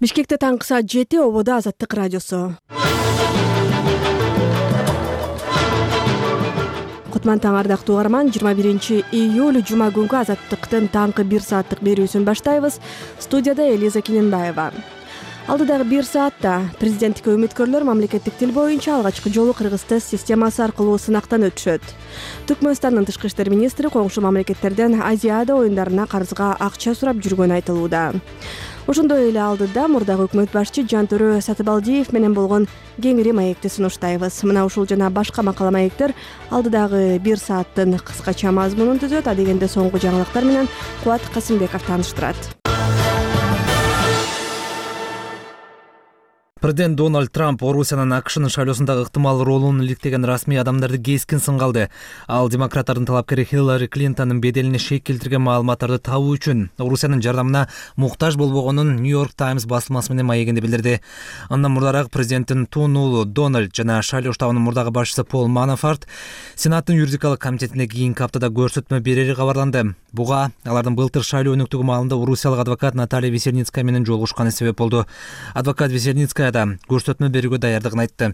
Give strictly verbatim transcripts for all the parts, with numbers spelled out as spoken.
Бишкекте таңкы саат жети, ободо Азаттык радиосу. Кутман таң ардактуу угарман, жыйырма биринчи июль жума күнгү Азаттыктын таңкы бир сааттык берүүсүн баштайбыз. Студияда Элиза Кененбаева. Алдыдагы бир саатта президенттикке үмүткөрлөр мамлекеттик тил боюнча алгачкы жолу кыргыз тест системасы аркылуу сынактан өтүшөт. Түркмөнстандын тышкы иштер министри коңшу мамлекеттерден Азиада оюндарына карызга акча сурап жүргөнү айтылууда. Ошондой эле алдыда мурдагы өкмөт башчы Жантөрө Сатыбалдиев менен болгон кеңири маекти сунуштайбыз. Мына ушул жана башка макала маектер алдыдагы бир сааттын кыскача мазмунун түзөт. Адегенде соңку жаңылыктар менен Кубат Касымбеков тааныштырат. Президент Дональд Трамп Орусиянын АКШнын шайлоосундагы ыктымал ролун иликтеген расмий адамдарды кескин сынга алды. Ал демократтардын талапкери Хиллари Клинтондун беделине шек келтирген маалыматтарды табуу үчүн Орусиянын жардамына муктаж болбогонун Нью-Йорк Таймс басылмасы менен маегинде билдирди. Андан мурдараак президенттин тун уулу Дональд жана шайлоо штабынын мурдагы башчысы Пол Манафорт Сенаттын юридикалык комитетине кийинки аптада көрсөтмө берери кабарланды. Буга алардын былтыр шайлоо өнүктүгү маалында орусиялык адвокат Наталья Весельницкая менен жолугушканы себеп болду. Адвокат Весельницкая да көрсөтмө берүүгө даярдыгын айтты.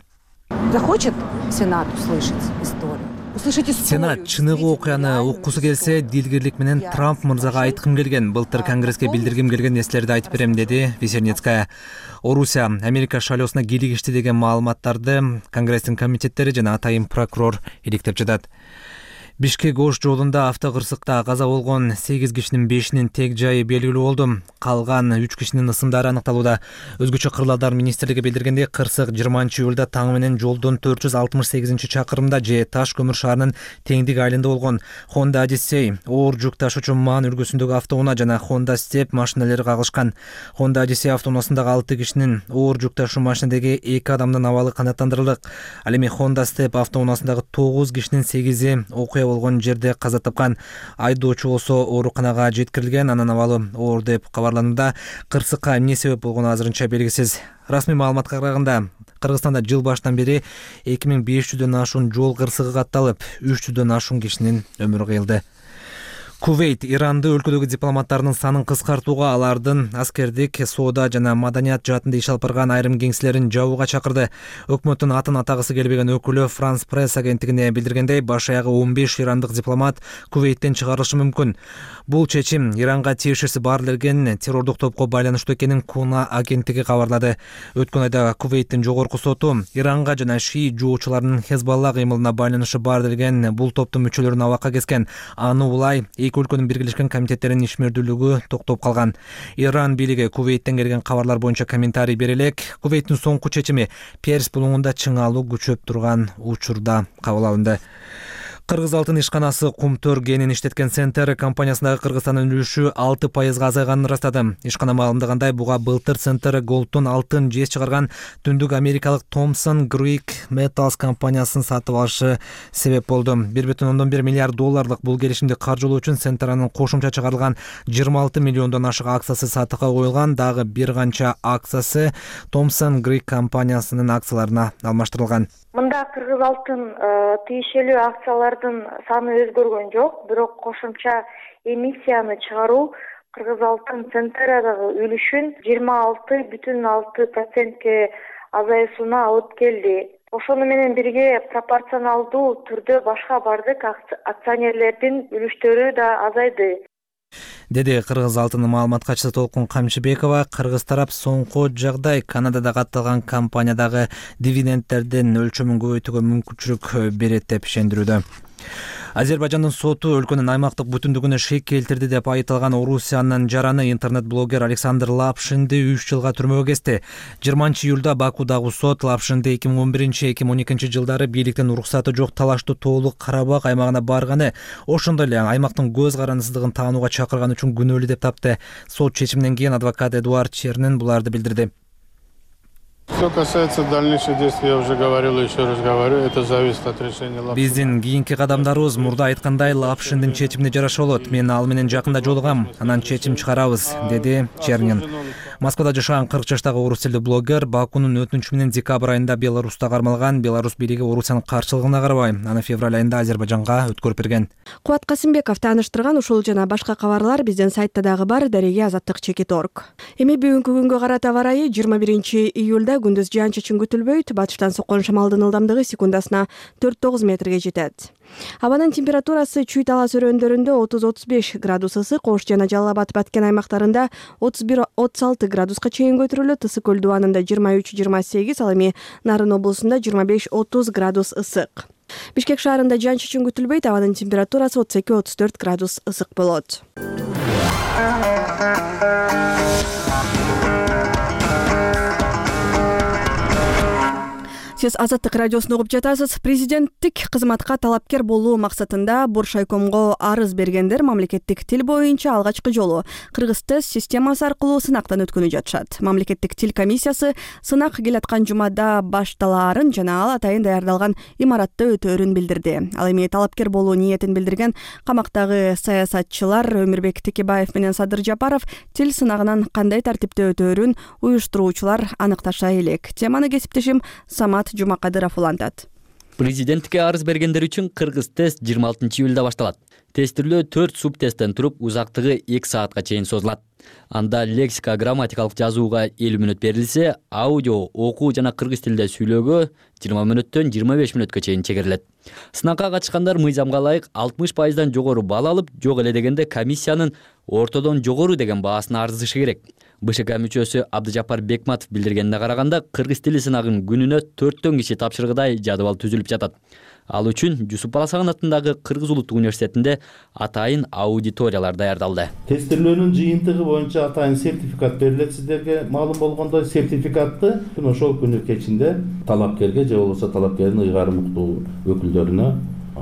Захочет Сенат услышать историю. Услышать историю. Сенат чыныгы окуяны уккусу келсе, дилгирлик менен Трамп мырзага айткым келген, былтыр Конгресске билдиргим келген нерселерди айтып берем, деди Весельницкая. Орусия Америка шайлоосуна кийлигишти деген маалыматтарды Конгресстин комитеттери жана атайын прокурор иликтеп жатат. Бишкек-Ош жолунда автокырсыкта каза болгон сегиз кишинин бешинин тег жайы белгилүү болду. Калган үч кишинин ысымдары аныкталууда. Өзгөчө кырлалдар министрлиги билдиргендей, кырсык жыйырманчы июлда таң менен жолдон төрт жүз алтымыш сегизинчи чакырымда же Таш көмүр шаарынын теңдик айылында болгон. Honda Odyssey оор жүк ташуучу Ман үлгүсүндөгү автоунаа жана Honda Step машиналары кагылышкан. Honda Odyssey автоунаасындагы алты кишинин оор жүк ташуу машинадагы эки адамдын абалы канааттандырылдык. Ал эми Honda Step автоунаасындагы тогуз кишинин сегизи окуя болгон жерде каза тапкан. Айдоочу болсо ооруканага жеткирилген, анын абалы оор деп кабарланууда. Кырсыкка эмне себеп болгону азырынча белгисиз. Расмий маалыматка караганда, Кыргызстанда жыл башынан бери эки миң беш жүздөн ашуун жол кырсыгы катталып, үч жүздөн ашуун кишинин өмүрү кыйылды. Кувейт Иранды өлкөдөгү дипломаттарынын санын кыскартууга, алардын аскердик, соода жана маданият жаатында иш алып барган айрым кеңселерин жабууга чакырды. Өкмөттүн атын атагысы келбеген өкүлү Франс Пресс агенттигине билдиргендей, баш аягы он беш ирандык дипломат Кувейттен чыгарылышы мүмкүн. Бул чечим Иранга тиешеси бар делген террордук топко байланыштуу экенин Куна агенттиги кабарлады. Өткөн айда Кувейттин жогорку соту Иранга жана шии жоочуларынын Хезбалла кыймылына байланышы бар делген бул топтун мүчөлөрүн абакка кескен. Аны улай эки өлкөнүн биргелешкен комитеттеринин ишмердүүлүгү токтоп калган. Иран бийлиги Кувейттен келген кабарлар боюнча комментарий бере элек. Кувейттин соңку чечими Перс булуңунда чыңалуу күчөп турган учурда кабыл алынды. Кыргыз алтын ишканасы Кумтөр кенин иштеткен Центр компаниясындагы Кыргызстандын үлүшү алты пайызга азайганын ырастады. Ишкана маалымдагандай, буга былтыр Центр Голдтон алтын жез чыгарган түндүк америкалык Thomson Greek Metals компаниясын сатып алышы себеп болду. бир бүтүн ондон бир миллиард долларлык бул келишимди каржылоо үчүн Центрнын кошумча чыгарылган жыйырма алты миллиондон ашык акциясы сатыкка коюлган. Дагы бир канча акциясы Thomson Greek компаниясынын акцияларына алмаштырылган. Мында Кыргыз алтын тиешелүү акциялардын саны өзгөргөн жок, бирок кошумча эмиссияны чыгаруу Кыргыз алтын Центерадагы үлүшүн жыйырма алты бүтүн алты процентке азайышына алып келди. Ошону менен бирге пропорционалдуу түрдө башка бардык акционерлердин үлүштөрү да азайды, деди Кыргыз алтынын маалымат катчысы Толкун Камчыбекова. Кыргыз тарап соңку жагдай Канадада катталган компаниядагы дивидендтердин өлчөмүн көбөйтүүгө мүмкүнчүлүк берет деп ишендирүүдө. Азербайжандын соту өлкөнүн аймактык бүтүндүгүнө шек келтирди деп айыпталган Орусиянын жараны интернет-блогер Александр Лапшинди үч жылга түрмөгө кести. жыйырманчы июлда Бакудагы сот Лапшинди эки миң он биринчи — эки миң он экинчи жылдары бийликтин уруксаты жок талаштуу тоолук Карабак аймагына барганы, ошондой эле аймактын көз карандысыздыгын таанууга чакырган үчүн күнөөлүү деп тапты. Сот чечиминен кийин адвокат Эдуард Чернин буларды билдирди. Что касается дальнейших действий, я уже говорил и еще раз говорю, это зависит от решения Лапшина. Биздин кийинки кадамдарыбыз мурда айткандай Лапшиндин чечимине жараша болот. Мен ал менен жакында жолугам, анан чечим чыгарабыз, деди Чернин. Москвада жашаган кырк жаштагы орус тилдүү блогер Бакунун өтүнүчү менен декабрь айында Беларуста кармалган Беларусь бийлиги Орусиянын каршылыгына карабай аны февраль айында Азербайжанга өткөрүп берген. Кубат Касымбеков тааныштырган ушул жана башка кабарлар биздин сайтта дагы бар. Дареге азаттык чекит точка орг. Эми бүгүнкү күнгө карата аба ырайы жыйырма биринчи июлда күндүз жаан-чачын күтүлбөйт. Батыштан соккон шамалдын ылдамдыгы секундасына төрт тогуз метрге жетет. Абанын температурасы Чүй талас өрөөндөрүндө отуз отуз беш градус ысык, Ош жана Жалал Абад Баткен аймактарында отуз бир отуз алты градуска чейин көтөрүлөт. Ысык көл дубанында жыйырма үч жыйырма сегиз, ал эми Нарын облусунда жыйырма беш отуз градус ысык. Бишкек шаарында жаан-чачын күтүлбөйт. Абанын температурасы отуз эки отуз төрт градус ысык болот. Сиз Азаттык радиосун угуп жатасыз. Президенттик кызматка талапкер болуу максатында Боршайкомго арыз бергендер мамлекеттик тил боюнча алгачкы жолу Кыргыз тест системасы аркылуу сынактан өткөнү жатышат. Мамлекеттик тил комиссиясы сынак келаткан жумада башталаарын жана ал атайын даярдалган имаратта өтөөрүн билдирди. Ал эми талапкер болуу ниетин билдирген камактагы саясатчылар Өмүрбек Текебаев менен Садыр Жапаров тил сынагынан кандай тартипте өтөөрүн уюштуруучулар аныкташа элек. Теманы кесиптешим Самат Жумакадыров улантат. Президенттикке арыз бергендер үчүн Кыргыз тест жыйырма алтынчы июлда башталат. Тестирлөө төрт суб тесттен туруп, узактыгы эки саатка чейин созулат. Анда лексика, грамматикалык жазууга элүү мүнөт берилсе, аудио, окуу жана кыргыз тилинде сүйлөөгө жыйырма мүнөттөн жыйырма беш мүнөткө чейин чегерилет. Сынакка катышкандар мыйзамга ылайык алтымыш пайыздан жогору балл алып, жок эле дегенде комиссиянын ортодон жогору деген баасына арызышы керек. БШК мүчөсү Абдыжапар Бекматов билдиргенине караганда, кыргыз тили сынагын күнүнө төрттөн киши тапшыргыдай жадыбал түзүлүп жатат. Ал үчүн Жусуп Баласаган атындагы Кыргыз улуттук университетинде атайын аудиториялар даярдалды. Тестирлөөнүн жыйынтыгы боюнча атайын сертификат берилет. Сиздерге маалым болгондой, сертификатты ошол күнү кечинде талапкерге же болбосо талапкердин ыйгарым уктуу өкүлдөрүнө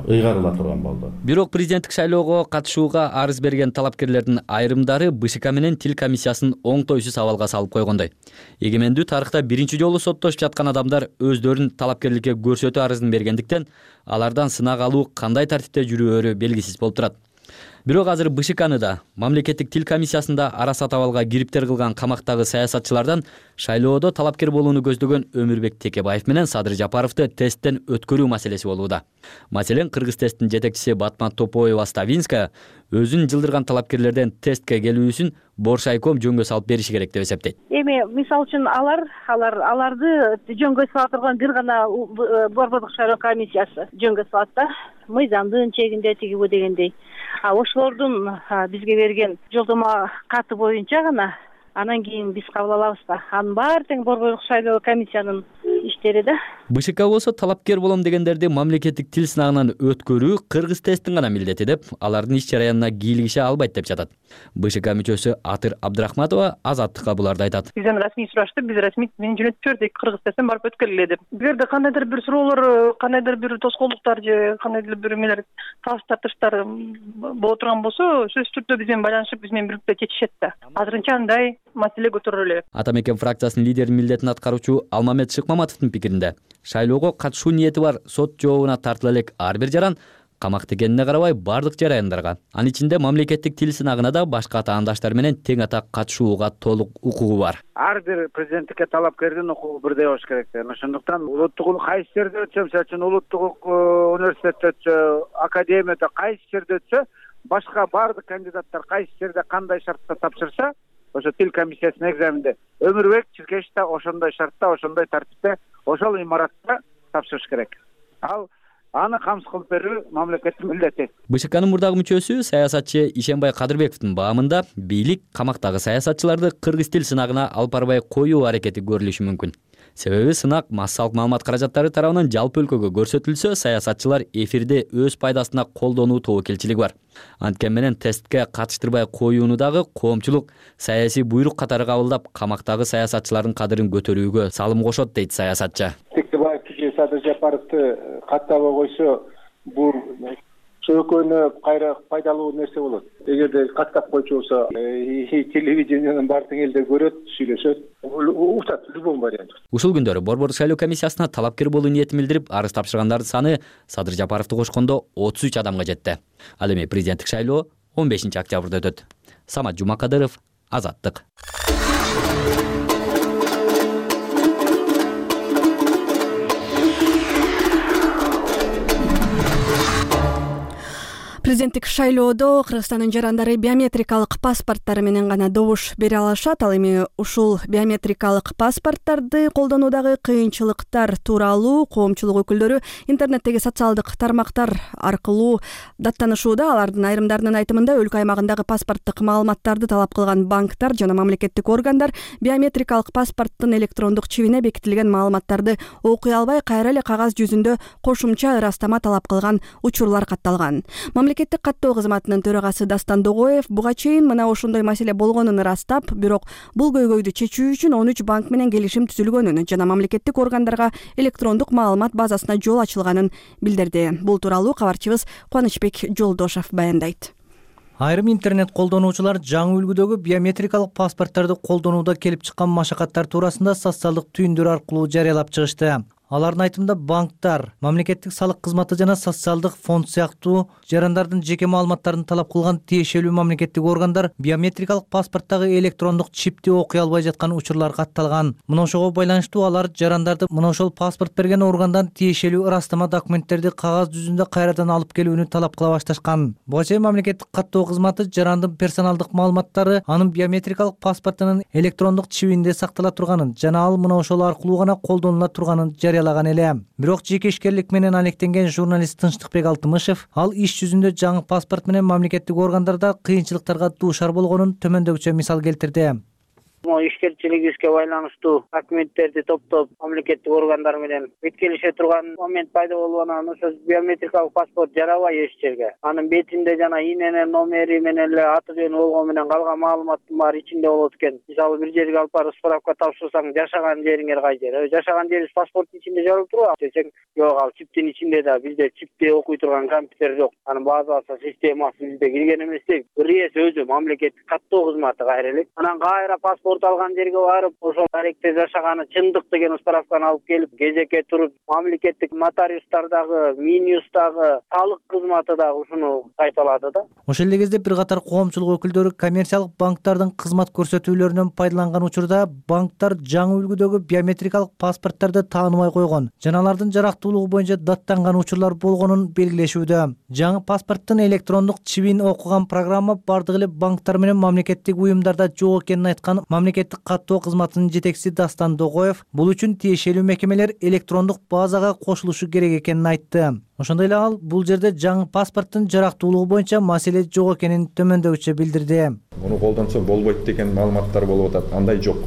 ыйгарыла турган болду. Бирок президенттик шайлоого катышууга арыз берген талапкерлердин айрымдары БШК менен тил комиссиясын оңтойсуз абалга салып койгондой. Эгемендүү тарыхта биринчи жолу соттошуп жаткан адамдар өздөрүн талапкерликке көрсөтүү арызын бергендиктен алардан сынак алуу кандай тартипте жүрөөрү белгисиз болуп турат. Бирок азыр БШКны да, мамлекеттик тил комиссиясында ара сат абалга кириптер кылган камактагы саясатчылардан шайлоодо талапкер болууну көздөгөн Өмүрбек Текебаев менен Садыр Жапаровду тесттен өткөрүү маселеси болууда. Маселен, Кыргыз тесттин жетекчиси Батман Топоева-Ставинская өзүн жылдырган талапкерлерден тестке келүүсүн Боршайком жөнгө салып бериши керек деп эсептейт. Эми мисалы үчүн алар алар аларды жөнгө сала турган бир гана Борбордук шайлоо комиссиясы жөнгө салат да, мыйзамдын чегинде тигибу дегендей. А ошолордун бизге берген жолдомо каты боюнча гана анан кийин биз кабыл алабыз да. Анын баары тең Борбордук шайлоо комиссиянын иштери да. БШК болсо талапкер болом дегендерди мамлекеттик тил сынагынан өткөрүү Кыргыз тесттин гана милдети деп, алардын иш жараянына кийлигише албайт деп жатат. БШК мүчөсү Атыр Абдрахматова Азаттыкка буларды айтат. Бизден расмий сурашты, биз расмий менен жөнөтүп бердик, Кыргыз тесттен барып өткөрүлө деп. Эгерде кандайдыр бир суроолор, кандайдыр бир тоскоолдуктар же кандайдыр бир эмелер, талаш тартыштар боло турган болсо, сөзсүз түрдө биз менен байланышып, биз менен бирдикте чечишет да. Азырынча андай маселе көтөрүлө. Ата мекен фракциясынын лидеринин милдетин аткаруучу Алмамет Шыкмаматовдун пикиринде, шайлоого катышуу ниети бар сот жообуна тартыла элек ар бир жаран камакта экенине карабай бардык жараяндарга, анын ичинде мамлекеттик тил сынагына да башка атаандаштар менен тең атак катышууга толук укугу бар. Ар бир президенттикке талапкердин укугу бирдей болуш керек. Ошондуктан улуттук кайсы жерде өтсө, мисалы үчүн улуттук университетте өтсө, академияда кайсы жерде өтсө, башка бардык кандидаттар кайсы жерде кандай шартта тапшырса, ошо тил комиссиясынын экзаменде Өмүрбек Чиркеш да ошондой шартта, ошондой тартипте, ошол имаратта тапшырыш керек. Ал аны камсыз кылып берүү мамлекеттин милдети. БШКнын мурдагы мүчөсү саясатчы Ишенбай Кадырбековдун баамында бийлик камактагы саясатчыларды кыргыз тил сынагына алып барбай коюу аракети көрүлүшү мүмкүн. Себеби сынак массалык маалымат каражаттары тарабынан жалпы өлкөгө көрсөтүлсө, саясатчылар эфирде өз пайдасына колдонуу тобокелчилиги бар. Анткени менен тестке катыштырбай коюуну дагы коомчулук саясий буйрук катары кабылдап, камактагы саясатчылардын кадырын көтөрүүгө салым кошот дейт саясатчы. Текебаев же Садыр Жапаровду каттабай койсо, бул экөөнө кайра пайдалуу нерсе болот. Эгерде каттап койчу болсо, телевидениянын баары тең элдер көрөт, сүйлөшөт, уктат любой вариант. Ушул күндөрү Борбордук шайлоо комиссиясына талапкер болуу ниетин билдирип, арыз тапшыргандардын саны Садыр Жапаровду кошкондо отуз үч адамга жетти. Ал эми президенттик шайлоо он бешинчи октябрда өтөт. Самат Жумакадыров, Азаттык. Президенттик шайлоодо Кыргызстандын жарандары биометрикалык паспорттары менен гана добуш бере алышат. Ал эми ушул биометрикалык паспорттарды колдонуудагы кыйынчылыктар тууралуу коомчулук өкүлдөрү интернеттеги социалдык тармактар аркылуу даттанышууда. Алардын айрымдарынын айтымында өлкө аймагындагы паспорттук маалыматтарды талап кылган банктар жана мамлекеттик органдар биометрикалык паспорттун электрондук чибине бекитилген маалыматтарды окуй албай, кайра эле кагаз жүзүндө кошумча ырастама талап кылган учурлар катталган. Мамлекеттик каттоо кызматынын төрагасы Дастан Догоев буга чейин мына ошондой маселе болгонун ырастап, бирок бул көйгөйдү чечүү үчүн он үч банк менен келишим түзүлгөнүн жана мамлекеттик органдарга электрондук маалымат базасына жол ачылганын билдирди. Бул тууралуу кабарчыбыз Кубанычбек Жолдошов баяндайт. Айрым интернет колдонуучулар жаңы үлгүдөгү биометрикалык паспорттарды колдонууда келип чыккан машакаттар туурасында социалдык түйүндөр аркылуу жарыялап чыгышты. Алардын айтымында банктар, мамлекеттик салык кызматы жана социалдык фонд сыяктуу жарандардын жеке маалыматтарын талап кылган тиешелүү мамлекеттик органдар биометрикалык паспорттагы электрондук чипти окуй албай жаткан учурлар катталган. Мына ошого байланыштуу алар жарандарды мына ошол паспорт берген органдан тиешелүү ырастама документтерди кагаз жүзүндө кайрадан алып келүүнү талап кыла башташкан. Буга чейин мамлекеттик каттоо кызматы жарандын персоналдык маалыматтары анын биометрикалык паспортунун электрондук чибинде сактала турганын жана ал мына ошол аркылуу гана колдонула турганын жарыялаган эле. Бирок жекешкерлик менен алектенген журналист Тынчтыкбек Алтымышев ал иш жүзүндө жаңы паспорт менен мамлекеттик органдарда кыйынчылыктарга дуушар болгонун төмөндөгүчө мисал келтирди. Ишкерчилигибизге байланыштуу документтерди топтоп мамлекеттик органдар менен беткелише турган момент пайда болуп анан ошо биометрикалык паспорт жарабай эч жерге. Анын бетинде жана ИНН номери менен эле аты жөнү болгон менен калган маалыматтын баары ичинде болот экен. Мисалы бир жерге алып барып справка тапшырсаң, жашаган жериңер кай жер? Жашаган жерибиз паспорттун ичинде жазылып турбайбы десең, жок, ал чиптин ичинде да, бизде чипти окуй турган компьютер жок. Анын базасы, системасы бизде кирген эмес дейт. Бир өзү мамлекеттик каттоо кызматы кайра элек. Анан кайра паспорт алган жерге барып, ошол даректе жашаганы чындык деген справканы алып келип, кезекке туруп, мамлекеттик нотариустардагы, Минюстагы, салык кызматы дагы ушуну кайталады да. Ошол эле кезде бир катар коомчулук өкүлдөрү коммерциялык банктардын кызмат көрсөтүүлөрүнөн пайдаланган учурда банктар жаңы үлгүдөгү биометрикалык паспорттарды тааныбай койгон жана алардын жарактуулугу боюнча даттанган учурлар болгонун белгилешүүдө. Жаңы паспорттун электрондук чибин окуган программа бардык эле банктар менен мамлекеттик уюмдарда жок экенин айткан мамлекеттик каттоо кызматынын жетекчиси Дастан Догоев бул үчүн тиешелүү мекемелер электрондук базага кошулушу керек экенин айтты. Ошондой эле ал бул жерде жаңы паспорттун жарактуулугу боюнча маселе жок экенин төмөндөгүчө билдирди. Муну колдонсо болбойт деген маалыматтар болуп атат. Андай жок.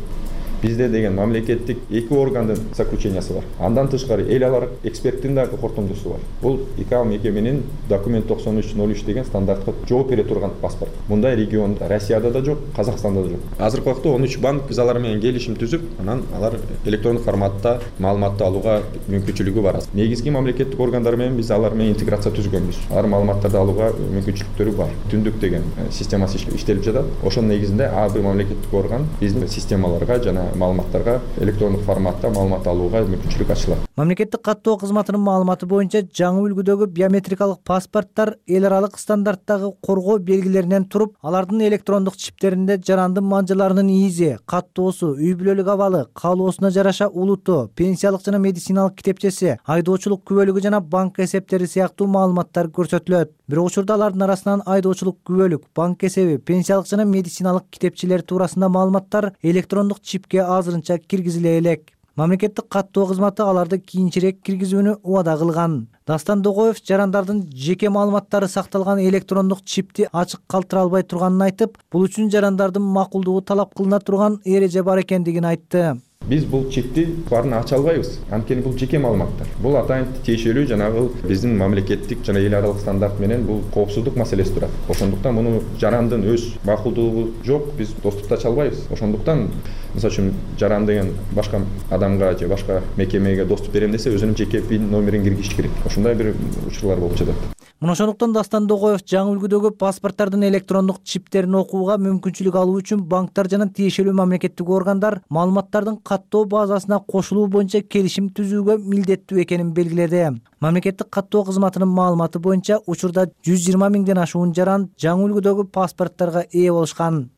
Бизде деген мамлекеттик эки органдын заключениясы бар. Андан тышкары эл алар эксперттин дагы кортундусу бар. Бул ИКАО мекеменин документ токсон үч ноль үч деген стандартка жооп бере турган паспорт. Мындай регионда Россияда да жок, Казакстанда да жок. Азыркы убакта он үч банк биз алар менен келишим түзүп, анан алар электрондук форматта маалыматты алууга мүмкүнчүлүгү бар. Негизги мамлекеттик органдар менен биз алар менен интеграция түзгөнбүз. Алар маалыматтарды алууга мүмкүнчүлүктөрү бар. Түндүк деген системасы иштелип жатат. Ошонун негизинде ар бир мамлекеттик орган биздин системаларга жана маалыматтарга электрондук форматта маалымат алууга мүмкүнчүлүк ачылат. Мамлекеттик каттоо кызматынын маалыматы боюнча жаңы үлгүдөгү биометрикалык паспорттар эл аралык стандарттагы коргоо белгилеринен туруп, алардын электрондук чиптеринде жарандын манжыларынын изи, каттоосу, үй бүлөлүк абалы, каалоосуна жараша улуту, пенсиялык жана медициналык китепчеси, айдоочулук күбөлүгү жана банк эсептери сыяктуу маалыматтар көрсөтүлөт. Бирок учурда алардын арасынан айдоочулук күбөлүк, банк эсеби, пенсиялык жана медициналык китепчелер туурасында маалыматтар электрондук чипке азырынча киргизиле элек. Мамлекеттик каттоо кызматы аларды кийинчерээк киргизүүнү убада кылган. Дастан Догоев жарандардын жеке маалыматтары сакталган электрондук чипти ачык калтыра албай турганын айтып, бул үчүн жарандардын макулдугу талап кылына турган эреже бар экендигин айтты. Биз бул чипти баарын ача албайбыз. Анткени бул жеке маалыматтар. Бул атайын тиешелүү жанагы биздин мамлекеттик жана эл аралык стандарт менен бул коопсуздук маселеси турат. Ошондуктан муну жарандын өз макулдугу жок, биз доступта ача албайбыз. Ошондуктан мисалы үчүн жаран деген башка адамга же башка мекемеге доступ берем десе, өзүнүн жеке пин номерин киргизиш керек. Ошондой бир учурлар болуп жатат. Мына ошондуктан Дастан Догоев жаңы үлгүдөгү паспорттардын электрондук чиптерин окууга мүмкүнчүлүк алуу үчүн банктар жана тиешелүү мамлекеттик органдар маалыматтардын каттоо базасына кошулуу боюнча келишим түзүүгө милдеттүү экенин белгиледи. Мамлекеттик каттоо кызматынын маалыматы боюнча учурда жүз жыйырма миңден ашуун жаран жаңы үлгүдөгү паспорттарга ээ болушкан.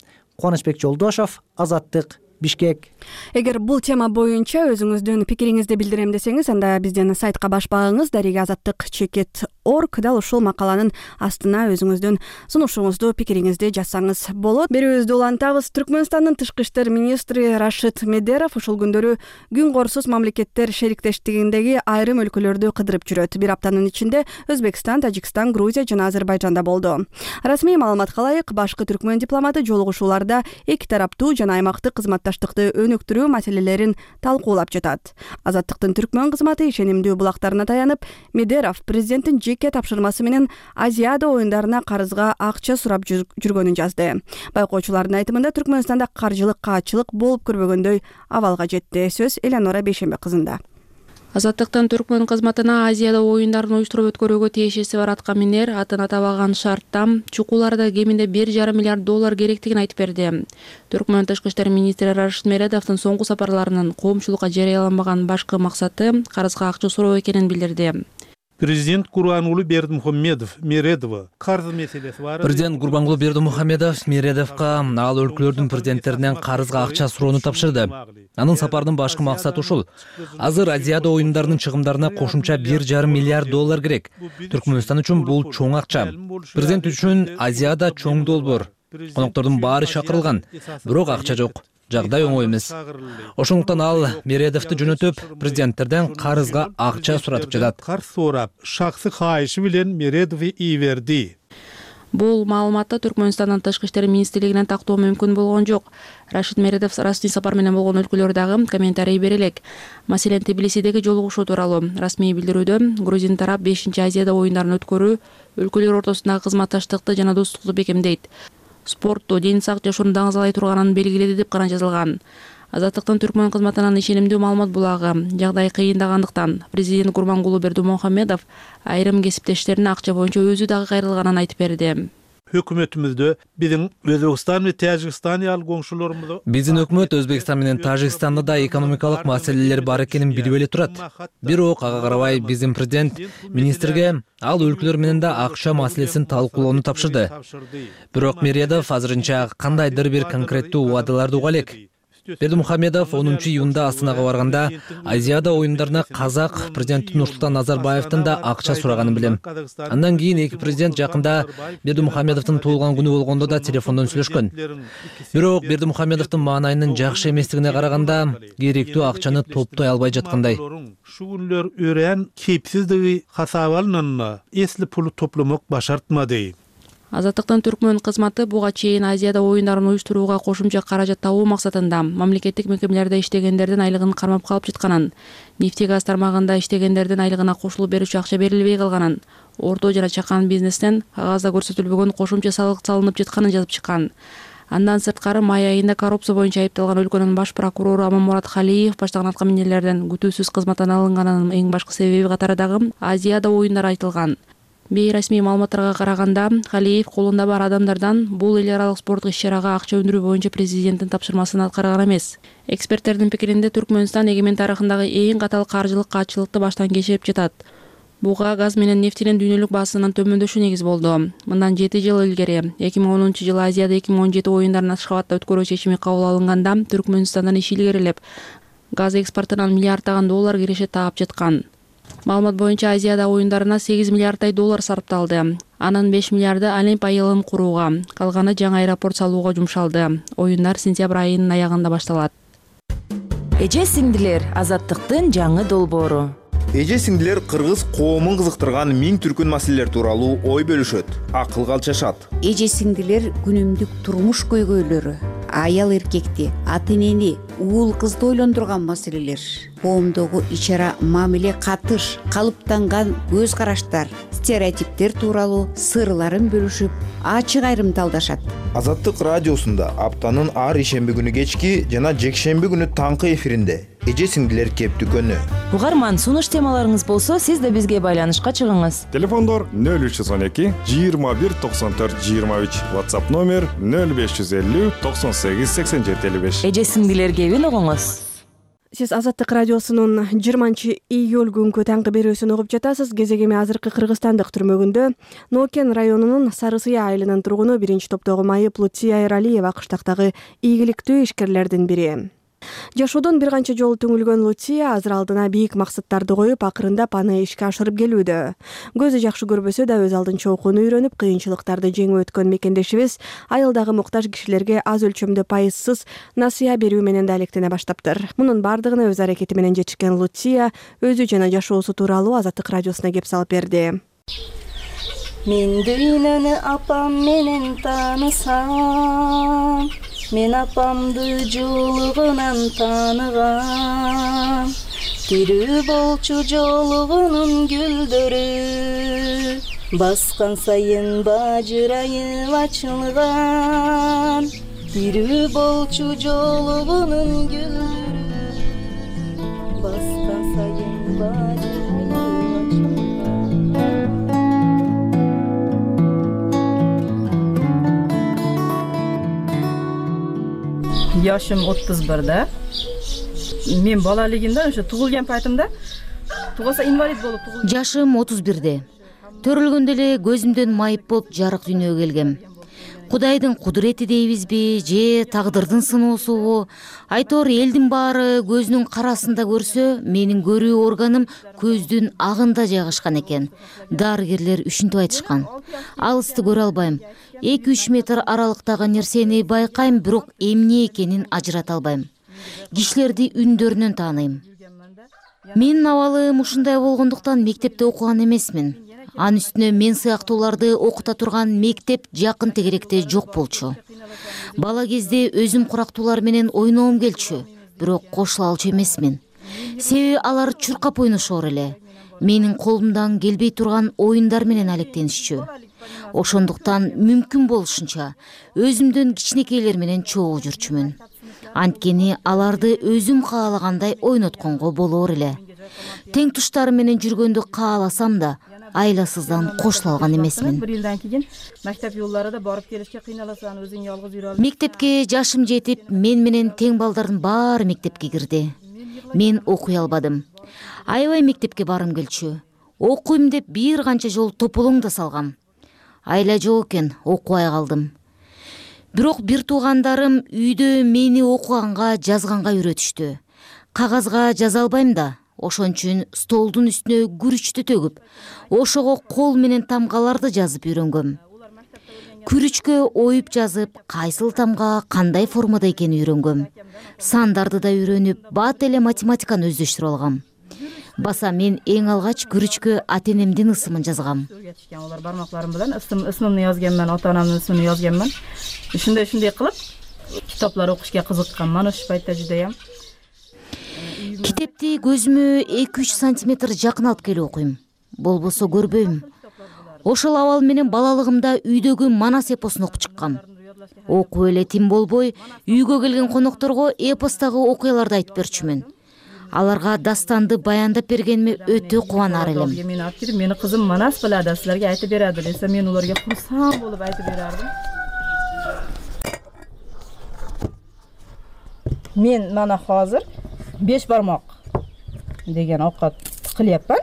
Кубанычбек Жолдошов, Азаттык, Бишкек. Эгер бул тема боюнча өзүңүздүн пикириңизди билдирем десеңиз, анда биздин сайтка баш багыңыз дареге азаттык чекит орг. Дал ушул макаланын астына өзүңүздүн сунушуңузду, пикириңизди жазсаңыз болот. Берүүбүздү улантабыз. Түркмөнстандын тышкы иштер министри Рашид Медеров ушул күндөрү күн корсуз мамлекеттер шериктештигиндеги айрым өлкөлөрдү кыдырып жүрөт. Бир аптанын ичинде Өзбекстан, Тажикстан, Грузия жана Азербайжанда болду. Расмий маалыматка ылайык, башкы түркмөн дипломаты жолугушууларда эки тараптуу жана аймактык кызматташтыкты өнүктүрүү маселелерин талкуулап жатат. Азаттыктын түркмөн кызматы ишенимдүү булактарына таянып, Медеров президенттин жеке тапшырмасы менен Азиада оюндарына карызга акча сурап жүргөнүн жазды. Байкоочулардын айтымында Түркмөнстанда каржылык каатчылык болуп көрбөгөндөй абалга жетти. Сөз Элеонора Бейшембе кызында. Азаттыктын түркмөн кызматына Азияда оюндарын уюштуруп өткөрүүгө тиешеси бар атка минер атын атабаган шартта чукуларда кеминде бир жарым миллиард доллар керектигин айтып берди. Түркмөн тышкы иштер министри Рашид Медеровдун соңку сапарларынын коомчулукка жарыяламаган башкы максаты карызга акча суроо экенин билдирди. Президент Гурбангулы Бердимухамедов Мередова карыз маселеси бар. Президент Гурбангулы Бердимухамедов Мередовго ал өлкөлөрдүн президенттеринен карызга акча суроону тапшырды. Анын сапарынын башкы максаты ушул. Азыр Азияда оюндарынын чыгымдарына кошумча бир жарым миллиард доллар керек. Түркмөнстан үчүн бул чоң акча. Президент үчүн Азияда чоң долбоор. Коноктордун баары чакырылган, бирок акча жок. Жагдай оңой эмес. Ошондуктан ал Мередовду жөнөтүп, президенттерден карызга акча суратып жатат. Карыз сурап, шаксы кайышы менен Мередов ий берди. Бул маалыматты Түркмөнстандын тышкы иштер министрлигинен тактоо мүмкүн болгон жок. Рашид Медеров расмий сапар менен болгон өлкөлөр дагы комментарий бере элек. Маселен, Тбилисидеги жолугушуу тууралуу расмий билдирүүдө Грузин тарап бешинчи Азияда оюндарын өткөрүү өлкөлөр ортосундагы кызматташтыкты жана достукту бекемдейт. Спортту, ден сак жашоону даңазалай турганын белгиледи деп гана жазылган. Азаттыктын түркмөн кызматынан ишенимдүү маалымат булагы жагдай кыйындагандыктан президент Гурбангулы Бердимухамедов айрым кесиптештерине акча боюнча өзү дагы кайрылганын айтып берди. Өкмөтүмүздө биздин Өзбекстан менен Тажикстан ал коңшуларыбыз. Биздин өкмөт Өзбекстан менен Тажикстанда да экономикалык маселелер бар экенин билип эле турат. Бирок ага карабай биздин президент министрге ал өлкөлөр менен да акча маселесин талкуулоону тапшырды. Бирок Мередов азырынча кандайдыр бир конкреттүү убадаларды уга элек. Бердимухамедов онунчу июнда Астанага барганда Азияда оюндарына казак президенти Нурсултан Назарбаевдин да акча сураганын билем. Андан кийин эки президент жакында Бердимухамедовдун туулган күнү болгондо да телефондон сүйлөшкөн. Бирок Бердимухамедовдун маанайынын жакшы эместигине караганда керектүү акчаны топтой албай жаткандай. Шугунлөр өрен кепсиздиги хасабалынын эсли пулу топламак башартмады. Азаттыктын түркмөн кызматы буга чейин Азияда оюндарын уюштурууга кошумча каражат табуу максатында мамлекеттик мекемелерде иштегендердин айлыгын кармап калып жатканын, нефти газ тармагында иштегендердин айлыгына кошулуп берүүчү акча берилбей калганын, орто жана чакан бизнестен кагазда көрсөтүлбөгөн кошумча салык салынып жатканын жазып чыккан. Андан сырткары май айында коррупция боюнча айыпталган өлкөнүн баш прокурору Аманмурат Халиев баштаган атка минерлерден күтүүсүз кызматтан алынганынын эң башкы себеби катары дагы Азияда оюндар айтылган. Бейрасмий маалыматтарга караганда, Халиев колунда бар адамдардан бул эл аралык спорттук иш-чарага акча өндүрүү боюнча президенттин тапшырмасын аткарган эмес. Эксперттердин пикиринде Түркмөнстан эгемен тарыхындагы эң катал каржылык каатчылыкты баштан кечирип жатат. Буга газ менен нефтинин дүйнөлүк баасынын төмөндөшү негиз болду. Мындан жети жыл илгери, эки миң онунчу жылы Азияда эки миң он жети оюндарын Ашхабадда өткөрүү чечими кабыл алынганда, Түркмөнстандын иши илгерилеп, газ экспортунан миллиарддаган доллар киреше таап жаткан. Маалымат боюнча Азияда оюндарына сегиз миллиарддай доллар сарпталды. Анын беш миллиарды Олимп айылын курууга, калганы жаңы аэропорт салууга жумшалды. Оюндар сентябрь айынын аягында башталат. Эже сиңдилер, азаттыктын жаңы долбоору. Эже сиңдилер кыргыз коомун кызыктырган миң түркүн маселелер тууралуу ой бөлүшөт, акылга алчашат. Эже сиңдилер күнүмдүк турмуш көйгөйлөрү, аял эркекти, ата энени, уул кызды ойлондурган маселелер, коомдогу ич-ара мамиле катыш, калыптанган көз караштар, стереотиптер тууралуу сырларын бөлүшүп, ачык айрымталдашат. Азаттык радиосунда аптанын ар ишемби күнү кечки жана жекшемби күнү таңкы эфиринде эже сиңдилер кептүкөнү. Угарман, сунуш темаларыңыз болсо, сиз да бизге байланышка чыгыңыз. Телефондор нөл үч жүз он эки жыйырма бир токсон төрт жыйырма үч, WhatsApp номер нөл беш жүз элүү токсон сегиз сексен жети элүү беш. Эже сиңдилер кебин угуңуз. Сиз Азаттык радиосунун жыйырманчы июль күнкү таңкы берүүсүн угуп жатасыз. Кезегеми азыркы Кыргызстандык түрмөгүндө Нокен районунун Сары Сыя айылынын тургуну биринчи топтогу майып Лутия Эралиева кыштактагы ийгиликтүү ишкерлердин бири. Жашоодон бир канча жолу түңүлгөн Лутия азыр алдына бийик максаттарды коюп, акырындап аны ишке ашырып келүүдө. Көзү жакшы көрбөсө да өз алдынча окууну үйрөнүп, кыйынчылыктарды жеңип өткөн мекендешибиз айылдагы муктаж кишилерге аз өлчөмдө пайызсыз насыя берүү менен да алектене баштаптыр. Мунун бардыгына өз аракети менен жетишкен Лутия өзү жана жашоосу тууралуу Азаттык радиосуна кеп салып берди. Мен дүйнөнү апам менен таанысам, мен апамды жолугунан тааныгам. Тирүү болчу жолугунун гүлдөрү, баскан сайын бажырайып ачылган. Тирүү болчу жолугунун гүлдөрү, баскан сайын бажырайып ачылган. Yaşım отуз бирде. Мен балалыгымда ошо туулган пайтымда тугаса инвалид болуп туулган. Жашым отуз бирде. Төрөлгөндө эле көзүмдөн майып болуп жарык дүйнөгө келгем. Кудайдын кудурети дейбизби, же тагдырдын сыноосубу? Айтор элдин баары көзүнүн карасында көрсө, менин көрүү органым көздүн агында жайгашкан экен. Дарыгерлер ушинтип айтышкан. Алысты көрө албайм. эки үч метр аралыктагы нерсени байкайм, бирок эмне экенин ажырата албайм. Кишилерди үндөрүнөн тааныйм. Менин абалым ушундай болгондуктан мектепте окуган эмесмин. Анын үстүнө мен сыяктууларды окута турган мектеп жакын тегеректе жок болчу. Бала кезде өзүм курактуулар менен ойногум келчү, бирок кошула алчу эмесмин. Себеби алар чуркап ойношор эле. Менин колумдан келбей турган оюндар менен алектенишчү. Ошондуктан мүмкүн болушунча өзүмдөн кичинекейлер менен чогуу жүрчүмүн. Анткени аларды өзүм каалагандай ойнотконго болор эле. Тең туштарым менен жүргөндү кааласам да, айласыздан кошула алган эмесмин. бир жылдан кийин мектеп жолдорунда барып келишке кыйналасаң, өзүң жалгыз жүрө албайсың. Мектепке жашым жетип, мен менен тең балдардын баары мектепке кирди. Мен окуй албадым. Аябай мектепке барым келчү. Окуйм деп бир канча жолу тополоң да салгам. Айла жок экен, окубай калдым. Бирок бир туугандарым үйдө мени окуганга, жазганга үйрөтүштү. Кагазга жаза албайм да, ошон үчүн столдун үстүнө күрүчтү төгүп, ошого кол менен тамгаларды жазып үйрөнгөм. Күрүчкө оюп жазып, кайсыл тамга кандай формада экенин үйрөнгөм. Сандарды да үйрөнүп, бат эле математиканы өздөштүрүп алгам. Баса мен эң алгач күрүчкө ата-энемдин ысымын жазгам. Алар бармакларым менен ысымымды жазганмын, ата-анамдын ысымын жазганмын. Ушундай-ушундай кылып китаптар окушка кызыкканмын ошол пайтта жудайам. Китепти көзүмө эки үч сантиметр жакын алып келип окуйм. Болбосо көрбөйм. Ошол абал менен балалыгымда үйдөгү Манас эпосун окуп чыккам. Окуп эле тим болбой, үйгө келген конокторго эпостагы окуяларды айтып берчүмүн. Аларга дастанды баяндап бергениме өтө кубанар элем. Мен алып келип, мени кызым Манас билadi, силерге айтып берadi десе, мен уларга курсам болуп айтып берардым. Мен мана азыр беш бармак деген окат кылыпмын.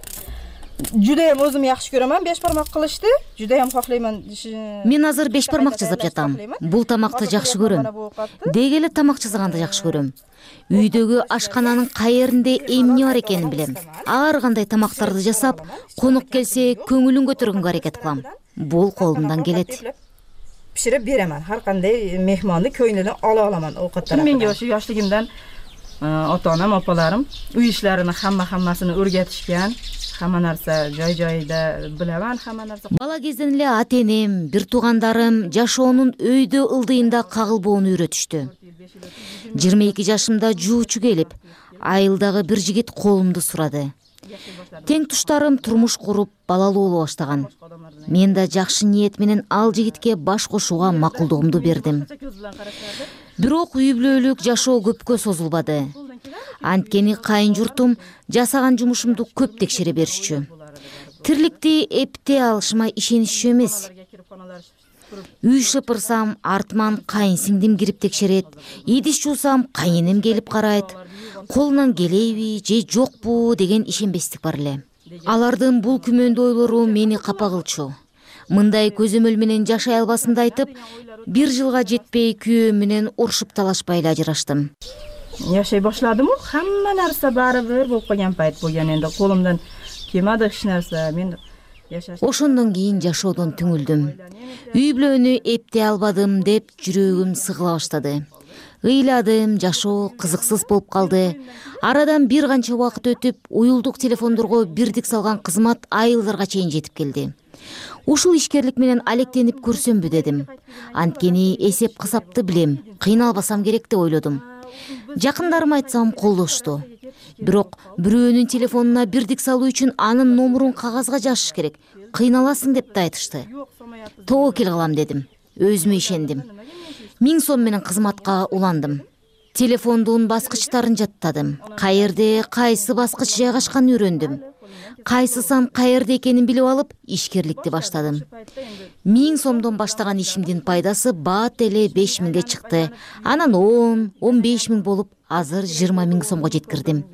Жудайым өзүм жакшы көрөмөн беш бармак кылышты. Жудайым каалаймын. Мен азыр беш бармак жасап жатам. Бул тамакты жакшы көрөм. Деги эле тамак жасаганды жакшы көрөм. Үйдөгү ашкананын кайеринде эмне бар экенин билем. Ар кандай тамактарды жасап, конок келсе көңүлүн көтөргөнгө аракет кылам. Бул колумдан келет. Пиширип беремин. Ар кандай мехманды көңүлүнөн ала аламын оокаттарды. Менге ошо жаштыгымдан ата-анам, апаларым үй иштерин хамма-хаммасын өргөтүшкөн. Хамма нерсе жай-жайда билебен, хамма нерсе. Бала кезден эле ата-энем, бир туугандарым жашоонун өйдө ылдыйында кагылбоону үйрөтүштү. жыйырма эки жашымда жуучу келип, айылдагы бир жигит колумду сурады. Тең туштарым турмуш куруп, балалуу боло баштаган. Мен да жакшы ниет менен ал жигитке баш кошууга макулдугумду бердим. Бирок үй бүлөлүк жашоо көпкө созулбады. Анткени кайын журтум жасаган жумушумду көп текшере беришчү. Тирликти эптей алышыма ишенишчү эмес. Үй шыпырсам артыман кайын сиңдим кирип текшерет, идиш жуусам кайынем келип карайт, колунан келеби же жокпу деген ишенбестик бар эле. Алардын бул күмөндүү ойлору мени капа кылчу. Мындай көзөмөл менен жашай албасымды айтып, бир жылга жетпей күйөөм менен урушуп талашпай эле ажыраштым. Жашай башладым, хамма нерсе баары бир болуп калган пайт болгон. Энди колумдан келмеди эч нерсе. Мен жашаш. Ошондон кийин жашоодон түңүлдүм. Үй бүлөнү эптей албадым деп жүрөгүм сыгыла баштады. Ыйладым, жашоо кызыксыз болуп калды. Арадан бир канча убакыт өтүп, уюлдук телефондорго бирдик салган кызмат айылдарга чейин жетип келди. Ушул ишкерлик менен алектенип көрсөмбү дедим. Анткени эсеп кысапты билем, кыйналбасам керек деп ойлодум. Жакындарым айтсам колдошту. Бирок бирөөнүн телефонуна бирдик салуу үчүн анын номурун кагазга жазыш керек. Кыйналасың деп да айтышты. Тоокел кылам дедим. Өзүмө ишендим. Миң сом менен кызматка уландым. Телефондун баскычтарын жаттадым. Каерде кайсы баскыч жайгашканын үйрөндүм. Кайсы сан каерде экенин билип алып, ишкерликти баштадым. Миң сомдон баштаган ишимдин пайдасы бат эле беш миңге чыкты. Анан он, он беш миң болуп, азыр жыйырма миң сомго жеткирдим.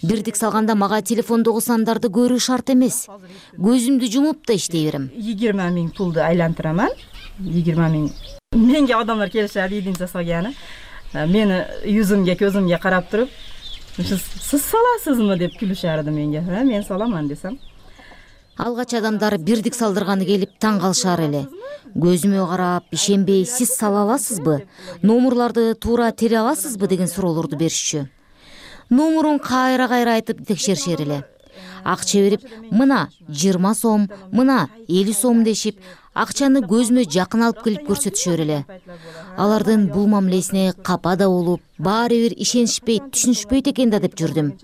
Бирдик салганда мага телефондогу сандарды көрүү шарт эмес. Көзүмдү жумуп да иштей берем. жыйырма миң пулду айлантыраман. жыйырма миң. Менге адамдар келишет, идин жасаганы. Мени yüzүмгө, көзүмгө карап туруп, сиз саласызмы деп күлүшөрдү менге. Мен саламан десем. Алгач адамдар бирдик салдырганы келип таң калышар эле. Көзүмө карап, ишенбей, сиз сала аласызбы? Номурларды туура тере аласызбы деген суроолорду беришчү. Номурун кайра-кайра айтып текшеришер эле. Акча берип, мына жыйырма сом, мына элүү сом дешип, акчаны көзүмө жакын алып келип көрсөтүшөр эле. Алардын бул мамилесине капа да болуп, баары бир ишенишпейт, түшүнүшпөйт экен да деп жүрдүм.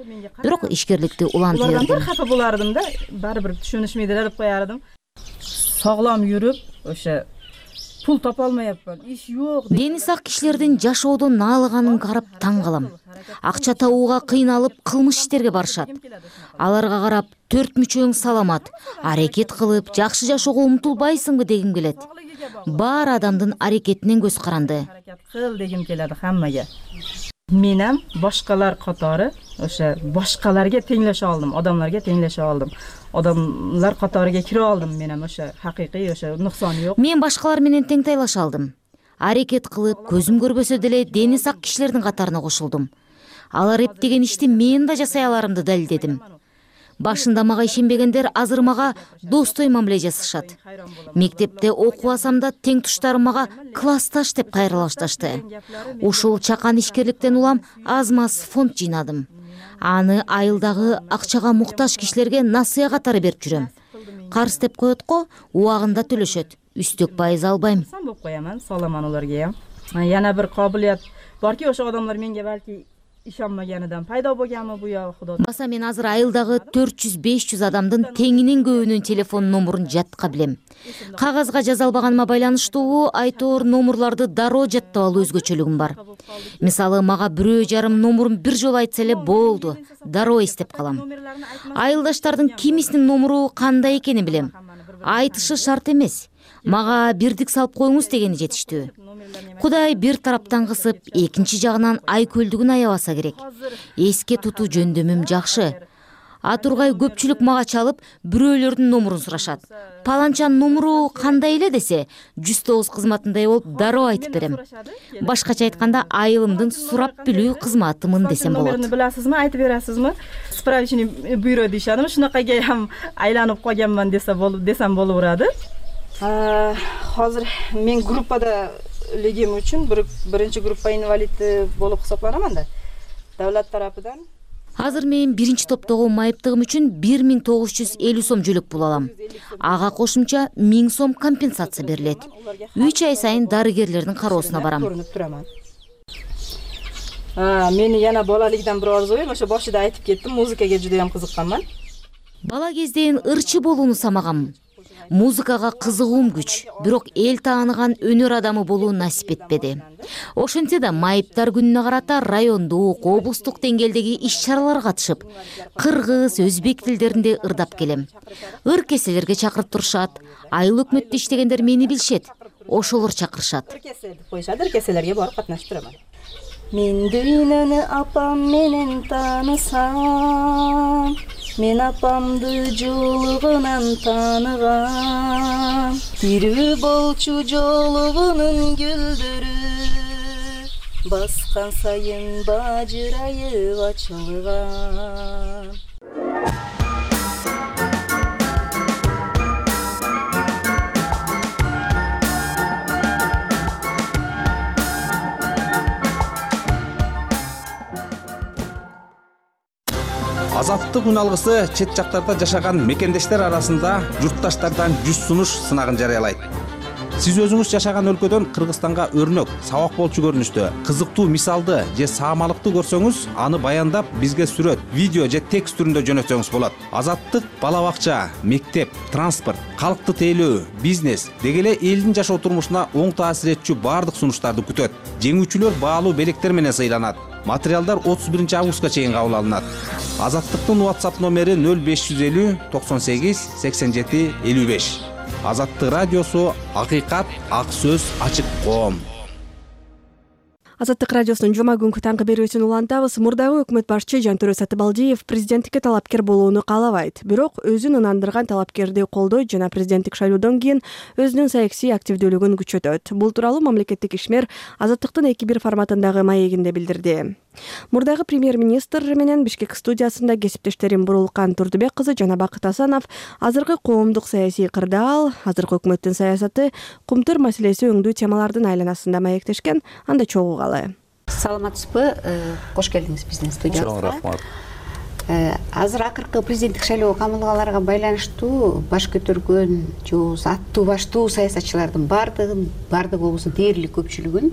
Бирок ишкерликти улантып бердим. Улардан капа булардым да, баары бир түшүнүшмөйдү деп коярдым. Саглам жүрүп, ошо пул тапа алмайапмын, иш жок. Дени сак кишилердин жашоодон наалыганын карап таң калам. Акча табууга кыйналып, кылмыш иштерге барышат. Аларга карап, төрт мүчөң саламат, аракет кылып, жакшы жашоого умтулбайсыңбы дегим келет. Баар адамдын аракетинен көз каранды. Кыл дегим келет хаммага. Менем башкалар катары, ошо башкаларга теңлеше алдым, адамдарга теңлеше алдым. Адамдар катарыга кире алдым менен, ошо хакыйкый, ошо нуксан жок. Мен башкалар менен тең тайлаша алдым. Аракет кылып, көзүм көрбөсө деле дени сак кишилердин катарына кошулдум. Алар эптеген ишти мен да жасай аларымды далилдедим. Башында мага ишенбегендер азыр мага достой мамиле жасашат. Мектепте окубасам да тең туштарым мага классташ деп кайрыла башташты. Ушул чакан ишкерликтен улам аз-маз фонд жыйнадым. Аны айылдагы акчага муктаж кишилерге насыя катары берип жүрөм. Карыз деп коет го, убагында төлөшөт. Үстөк пайыз албайм. Сан болуп кояман, саламан аларга. Яна бир кабылет барки, ошо адамдар менге балки ишенмегенидан пайда болгонму бу я Кудо. Баса мен азыр айылдагы төрт жүз беш жүз адамдын теңинин көбүнүн телефон номурун жатка билем. Кагазга жаза албаганыма байланыштуу айтор номурларды дароо жаттап алуу өзгөчөлүгүм бар. Мисалы, мага бирөө жарым номурун бир жолу айтса эле болду, дароо эстеп калам. Айылдаштардын кимисинин номуру кандай экенин билем. Айтышы шарт эмес. Мага бирдик салып коюңуз дегени жетиштүү. Кудай бир тараптан кысып, экинчи жагынан айкөлдүгүн аябаса керек. Эске тутуу жөндөмүм жакшы. Атургай көпчүлүк мага чалып, бирөөлөрдүн номурун сурашат. Паланчанын номуру кандай эле десе, жүз тогуз кызматындай болуп дароо айтып берем. Башкача айтканда, айылымдын сурап билүү кызматымын десем болот. Номерин биласызмы, айтып бересизми? Справочный бюро дешадым, шунакайга ham айланып койгонман десе болуп, десем болуп турады. Азыр мен группада легим үчүн биринчи группа инвалиди болуп хесапланаман да. Давлат тарапынан. Азыр мен биринчи топтогу майыптыгым үчүн бир миң тогуз жүз элүү сом жөлөк пул алам. Ага кошумча миң сом компенсация берилет. үч ай сайын дарыгерлердин кароосуна барам. Мени яна балалыгынан бир арзуйм, ошо башында айтып кеттим, музыкага жудайам кызыкканман. Бала кезден ырчы болууну самагам. Музыкага кызыгуум күч, бирок эл тааныган өнөр адамы болуу насип этпеди. Ошентсе да майыптар күнүнө карата райондук, облустук деңгээлдеги иш-чараларга катышып, кыргыз, өзбек тилдеринде ырдап келем. Ыр кеселерге чакырып турушат. Айыл өкмөттө иштегендер мени билишет. ошолор чакырышат. Кеселди коюшат, кеселерге барып катнашып турам. Мен дүйнөнү апам менен таанысам, мен апамды жолугунан тааныгам. Тирүү болчу жолугунун гүлдөрү, баскан сайын бажырайып ачылган. Азаттык үн алгысы чет жактарда жашаган мекендештер арасында журтташтардан жүз сунуш сынагын жарыялайт. Сиз өзүңүз жашаган өлкөдөн Кыргызстанга өрнөк, сабак болчу көрүнүштө, кызыктуу мисалды же саамалыкты көрсөңүз, аны баяндап бизге сүрөт, видео же текст түрүндө жөнөтсөңүз болот. Азаттык бала бакча, мектеп, транспорт, калкты тейлөө, бизнес деги эле элдин жашоо турмушуна оң таасир этчү баардык сунуштарды күтөт. Жеңүүчүлөр баалуу белектер менен сыйланат. Материалдар отуз биринчи августка чейин кабыл алынат. Азаттыктын WhatsApp номери нөл беш жүз элүү токсон сегиз сексен жети элүү беш. Азаттык радиосу, акыйкат, ак сөз, ачык коом. Азаттык радиосунун жума күнкү таңкы берүүсүн улантабыз. Мурдагы өкмөт башчы Жантөрө Сатыбалдиев президенттикке талапкер болууну каалабайт. Бирок өзүн ынандырган талапкерди колдойт жана президенттик шайлоодон кийин өзүнүн саясий активдүүлүгүн күчөтөт. Бул тууралуу мамлекеттик ишмер Азаттыктын эки бир форматындагы маегинде билдирди. Мурдагы премьер-министр менен Бишкек студиясында кесиптештерим Бурулкан Турдубек кызы жана Бакыт Асанов азыркы коомдук саясий кырдаал, азыркы өкмөттүн саясаты, кумтур маселеси өңдүү темалардын айланасында маектешкен. Анда чогуугалы. Саламатсызбы? Кош келдиңиз биздин студиябызга. Чоң рахмат. Азыр акыркы президенттик шайлоо камылгаларга байланыштуу баш көтөргөн же болбосо аттуу баштуу саясатчылардын баардыгын, баардыгы болбосо дээрлик көпчүлүгүн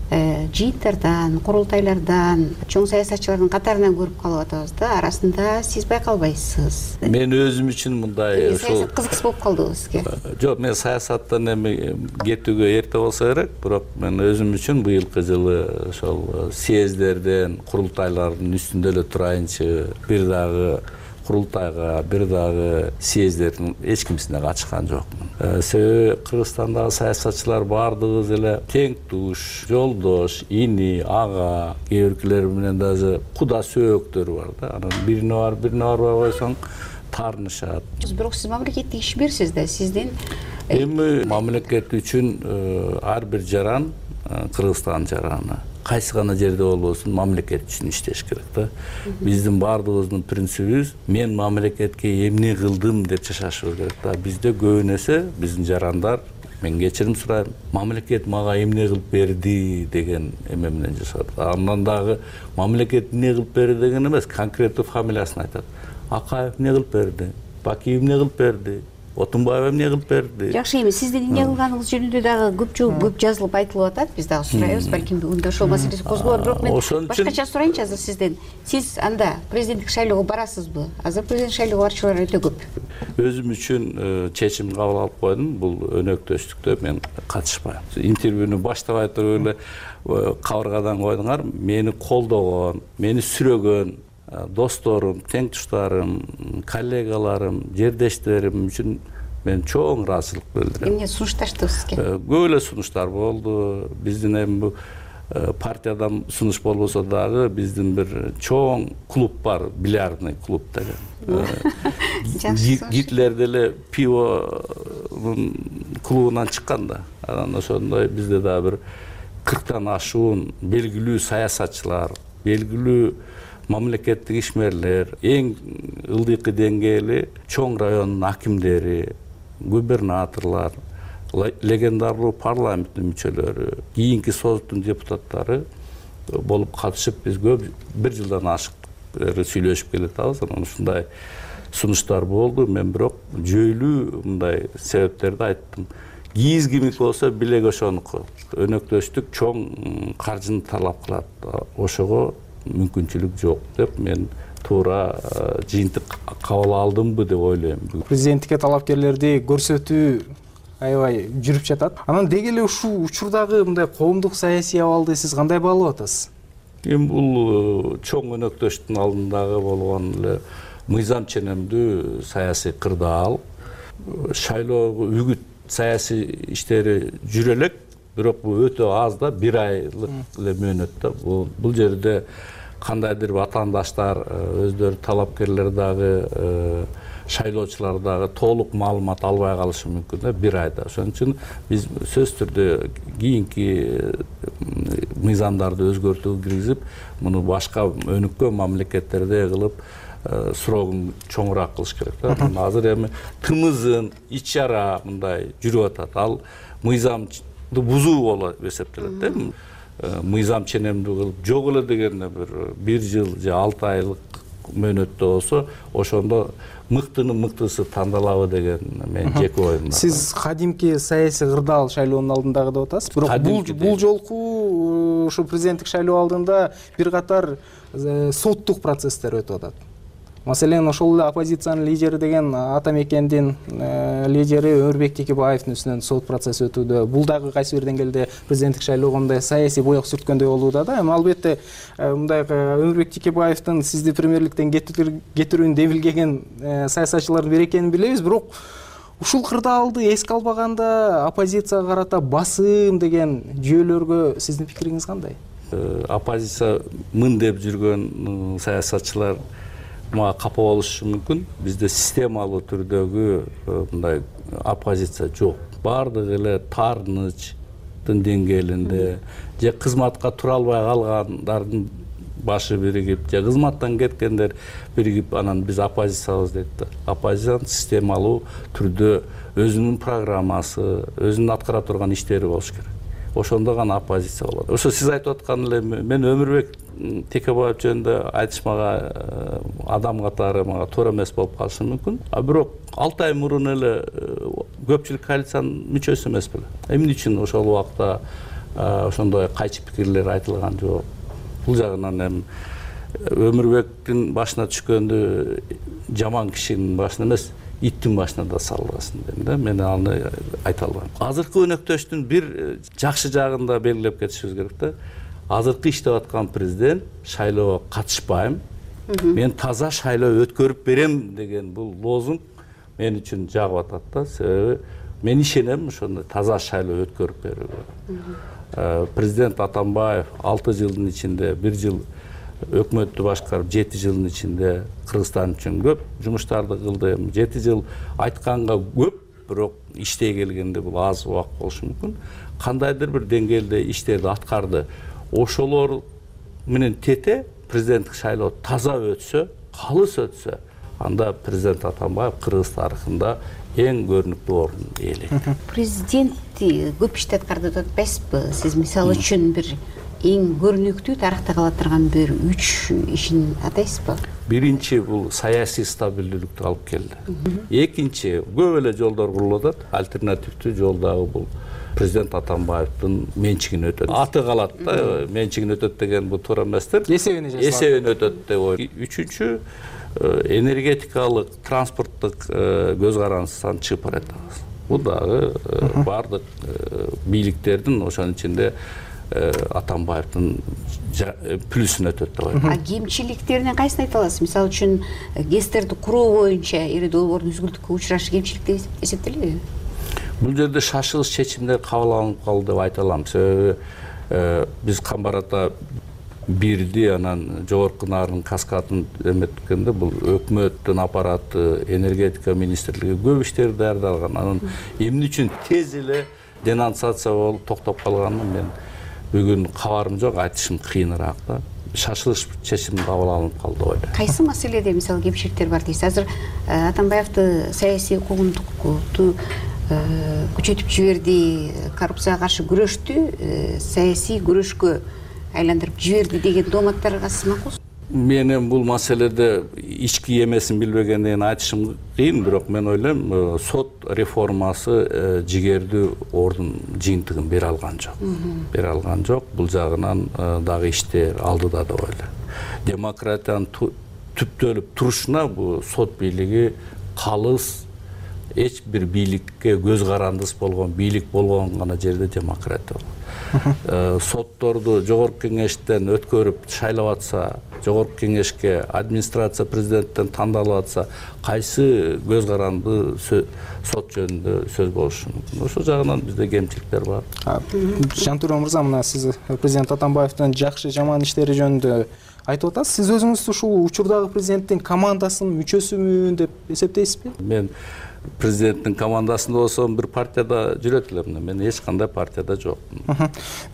жыйынтардан, курултайлардан, чоң саясатчылардын катарынан көрүп калып атабыз да. Арасында сиз байкалбайсыз. Мен өзүм үчүн мындай ушул кызыксыз болуп калдыбы сизге? Жок, мен саясаттан эми кетүүгө эрте болсо керек, бирок мен өзүм үчүн быйылкы жылы ошол съездерден, курултайлардын үстүндө эле турайынчы, бир дагы курултайга, бир дагы съездердин эч кимсине катышкан жокмун. Себеби Кыргызстандагы саясатчылар баардыгыбыз эле тең туш, жолдош, ини, ага, кээ биркилер менен даже куда сөөктөр бар да. Анан бирине барып, бирине барбай койсоң таарынышат. Бирок сиз мамлекеттик ишмерсиз да, сиздин эми мамлекет үчүн ар бир жаран Кыргызстандын жараны. Кайсы гана жерде болбосун мамлекет үчүн иштеш керек да. Биздин баардыгыбыздын принцибибиз мен мамлекетке эмне кылдым деп жашашыбыз керек да. Бизде көбүн эсе биздин жарандар, мен кечирим сурайм, мамлекет мага эмне кылып берди деген эме менен жашат. Андан дагы мамлекет эмне кылып берди деген эмес, конкреттүү фамилиясын айтат. Акаев эмне кылып берди, Бакиев эмне кылып берди, Отунбаев эмне кылып берди. Жакшы, эми сиздин эмне кылганыңыз жөнүндө дагы көп көп жазылып айтылып атат. Биз дагы сурайбыз, балким бүгүн ошол маселеси козголор. Бирок мен башкача сурайынчы азыр сизден. Сиз анда президенттик шайлоого барасызбы? Азыр президенттик шайлоого барчулар өтө көп. Өзүм үчүн чечим кабыл алып койдум. Бул өнөктөштүктө мен катышпайм. Интервьюну баштабай туруп эле кабыргадан койдуңар. Мени колдогон, мени сүрөгөн досторум, тең туштарым, коллегаларым, жердештерим үчүн мен чоң ыраазычылык билдирем. Эмне сунушташты сизге? Көп эле сунуштар болду. Биздин эми бул партиядан сунуш болбосо дагы биздин бир чоң клуб бар, бильярдный клуб деген. Гитлер деле пивонун клубунан чыккан да. Анан ошондой бизде дагы бир кырктан ашуун белгилүү саясатчылар, белгилүү мамлекеттик ишмерлер, эң ылдыйкы деңгээли чоң райондун акимдери, губернаторлор, легендарлуу парламенттин мүчөлөрү, кийинки соттун депутаттары болуп катышып биз көп бир жылдан ашык сүйлөшүп келатабыз. Анан ушундай сунуштар болду. Мен бирок жөйлүү мындай себептерди айттым. Кийиз кимики болсо билеги ошонуку. Өнөктөштүк чоң каржыны талап кылат. Ошого мүмкүнчүлүк жок деп мен туура жыйынтык кабыл алдымбы деп ойлойм. Президенттикке талапкерлерди көрсөтүү аябай жүрүп жатат. Анан деги эле ушул учурдагы мындай коомдук саясий абалды сиз кандай баалап атасыз? Эми бул чоң өнөктөштүн алдындагы болгон эле мыйзам ченемдүү саясий кырдаал, шайлоого үгүт саясий иштери жүрө элек, бирок бул өтө аз да, бир айлык эле мөөнөт да. Бул жерде кандайдыр ватандаштар, өздөрү талапкерлер дагы, шайлоочулар дагы толук маалымат албай калышы мүмкүн да бир айда. Ошон үчүн биз сөзсүз түрдө кийинки мыйзамдарды өзгөртүүгө киргизип, муну башка өнүккөн мамлекеттерде кылып срогун чоңураак кылыш керек да. Азыр эми тымызын ич чара мындай жүрүп атат. Ал мыйзамды бузуу болуп эсептелет да. Мыйзам ченемдүү кылып жок эле дегенде бир бир жыл же алты айлык мөөнөттө болсо, ошондо мыктынын мыктысы тандалабы деген менин жеке оюм. Сиз кадимки саясий кырдаал шайлоонун алдындагы деп атасыз. Бирок бул жолку ушу президенттик шайлоо алдында бир катар соттук процесстер өтүп атат. Маселен, ошол эле оппозициянын лидери деген ата мекендин лидери Өмүрбек Текебаевдин үстүнөн сот процесси өтүүдө. Бул дагы кайсы бир деңгээлде президенттик шайлоого мындай саясий боек сүрткөндөй болууда да. Эми албетте мындай Өмүрбек Текебаевдин сизди премьерликтен кетирүүнү демилгеген саясатчылардын бири экенин билебиз, бирок ушул кырдаалды эске албаганда оппозицияга карата басым деген жүйөлөргө сиздин пикириңиз кандай? Оппозиция мын деп жүргөн саясатчылар мага капа болушу мүмкүн. Бизде системалуу түрдөгү мындай оппозиция жок. Бардыгы эле таарынычтын деңгээлинде же кызматка тура албай калгандардын башы биригип, же кызматтан кеткендер биригип, анан биз оппозициябыз дейт да. Оппозициянын системалуу түрдө өзүнүн программасы, өзүнүн аткара турган иштери болуш керек. Ошондо гана оппозиция болот. Ошо сиз айтып аткан эле мен Өмүрбек Текебаев жөнүндө айтыш мага адам катары мага туура эмес болуп калышы мүмкүн. А бирок алты ай мурун эле көпчүлүк коалициянын мүчөсү эмес беле. Эмне үчүн ошол убакта ошондой кайчы пикирлер айтылган жок. Бул жагынан эми Өмүрбектин башына түшкөндү жаман кишинин башына эмес, иттин башына да салгансың дейм да. Мен аны айта албайм. Азыркы өнөктөштүн бир жакшы жагын да белгилеп кетишибиз керек да. Азыркы иштеп аткан президент шайлоого катышпайм, мен таза шайлоо өткөрүп берем деген бул лозунг мен үчүн жагып атат да. Себеби мен ишенем ошондой таза шайлоо өткөрүп берүүгө. Президент Атамбаев алты жылдын ичинде бир жыл өкмөттү башкарып, жети жылдын ичинде Кыргызстан үчүн көп жумуштарды кылды. жети жыл айтканга көп, бирок иштей келгенде бул аз убак болушу мүмкүн. Кандайдыр бир деңгээлде иштерди аткарды. Ошолор менен тете президенттик шайлоо таза өтсө, калыс өтсө, анда президент Атамбаев Кыргыз тарыхында эң көрүнүктүү орун ээлейт. Президент көп ишти аткарды деп атпайсызбы? Сиз мисалы үчүн бир эң көрүнүктүү тарыхта кала турган бир үч ишин атайсызбы? Биринчи бул саясий стабилдүүлүктү алып келди. Экинчи көп эле жолдор курулуп атат. Альтернативдүү жол дагы бул президент Атамбаевдин менчигин өтөт. Аты калат да, менчигин өтөт деген бул туура эместир. Эсебине жасалат. Эсебине өтөт деп ой. Үчүнчү энергетикалык, транспорттук көз карандысынан чыгып баратабыз. Бул дагы бардык бийликтердин ошонун ичинде Атамбаевдин плюсун өтөт деп ойлойм. А кемчиликтерине кайсын айта аласыз? Мисалы үчүн гэстерди куруу боюнча ири долбоордун үзгүлтүккө учурашы кемчилик деп эсептелеби? Бул жерде шашылыш чечимдер кабыл алынып калды деп айта алам. Себеби биз Камбар ата бирди, анан жогорку нарын каскадын эметкенде бул өкмөттүн аппараты, энергетика министрлиги көп иштерди даярдалган. Анан эмне үчүн тез эле денонсация болуп токтоп калганын мен бүгүн кабарым жок, айтышым кыйыныраак да. Шашылыш чечим кабыл алынып калды деп ойлойм. Кайсы маселеде мисалы кемчиликтер бар дейсиз? Азыр Атамбаевди саясий куугунтукту күчөтүп жиберди, коррупцияга каршы күрөштү саясий күрөшкө айландырып жиберди деген дооматтарга сиз макулсузбу? Менин бул маселеде ички эмесин билбегенден айтышым кыйын, бирок мен ойлойм, сот реформасы жигердүү ордун жыйынтыгын бере алган жок. Бере алган жок. Бул жагынан дагы иштер алдыда деп ойлойм. Демократиянын түптөлүп турушуна бул сот бийлиги калыс, эч бир бийликке көз карандыс болгон бийлик болгон гана жерде демократия болот. сотторду жогорку кеңештен өткөрүп шайлап атса, жогорку кеңешке администрация президенттен тандалып атса, кайсы көз каранды сот жөнүндө сөз болушу мүмкүн? Ошол жагынан бизде кемчиликтер бар. Жантура мырза, мына сиз президент Атамбаевдин жакшы жаман иштери жөнүндө айтып атасыз. Сиз өзүңүздү ушул учурдагы президенттин командасынын мүчөсүмүн деп эсептейсизби? Мен президенттин командасында болсом, бир партияда жүрөт элем. Мен эч кандай партияда жокмун.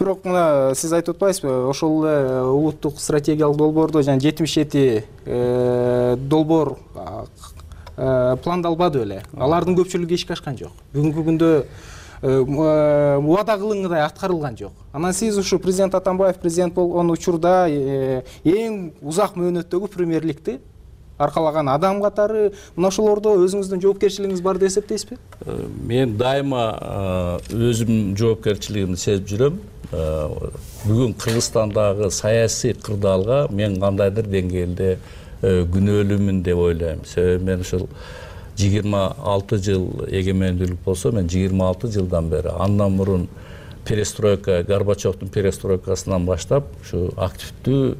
Бирок мына сиз айтып атпайсызбы, ошол эле улуттук стратегиялык долбоордо жана жетимиш жети долбоор пландалбады беле? Алардын көпчүлүгү ишке ашкан жок. Бүгүнкү күндө убада кылынгандай аткарылган жок. Анан сиз ушу президент Атамбаев президент болгон учурда эң узак мөөнөттөгү премьерликти аркалаган адам катары мына ошолордо өзүңүздүн жоопкерчилигиңиз бар деп эсептейсизби? Мен дайыма өзүм жоопкерчилигимди сезип жүрөм. Бүгүн Кыргызстандагы саясий кырдаалга мен кандайдыр деңгээлде күнөөлүүмүн деп ойлойм. Себеби мен ушул жыйырма алты жыл эгемендүүлүк болсо, мен жыйырма алты жылдан бери, андан мурун перестройка, Горбачевдун перестройкасынан баштап ушу активдүү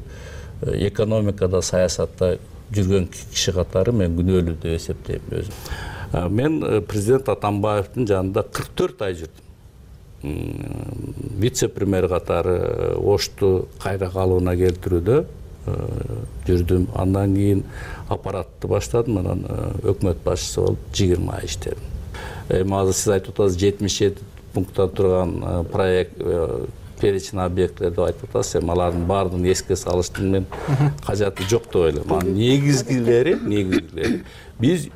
экономикада, саясатта жүргөн киши катары мен күнөөлүү деп эсептейм өзүм. Мен президент Атамбаевдин жанында кырк төрт ай жүрдүм. Вице-премьер катары Ошту кайра калыбына келтирүүдө жүрдүм. Андан кийин аппаратты баштадым, анан өкмөт башчысы болуп жыйырма ай иштедим. Эми азыр сиз айтып атасыз, жетимиш жети пункттан турган проект, перечень объекттер деп айтып атасыз. Эми алардын баардыгын эске салыштын мен кажаты жок деп ойлойм. Анын негизгилери, негизгилери биз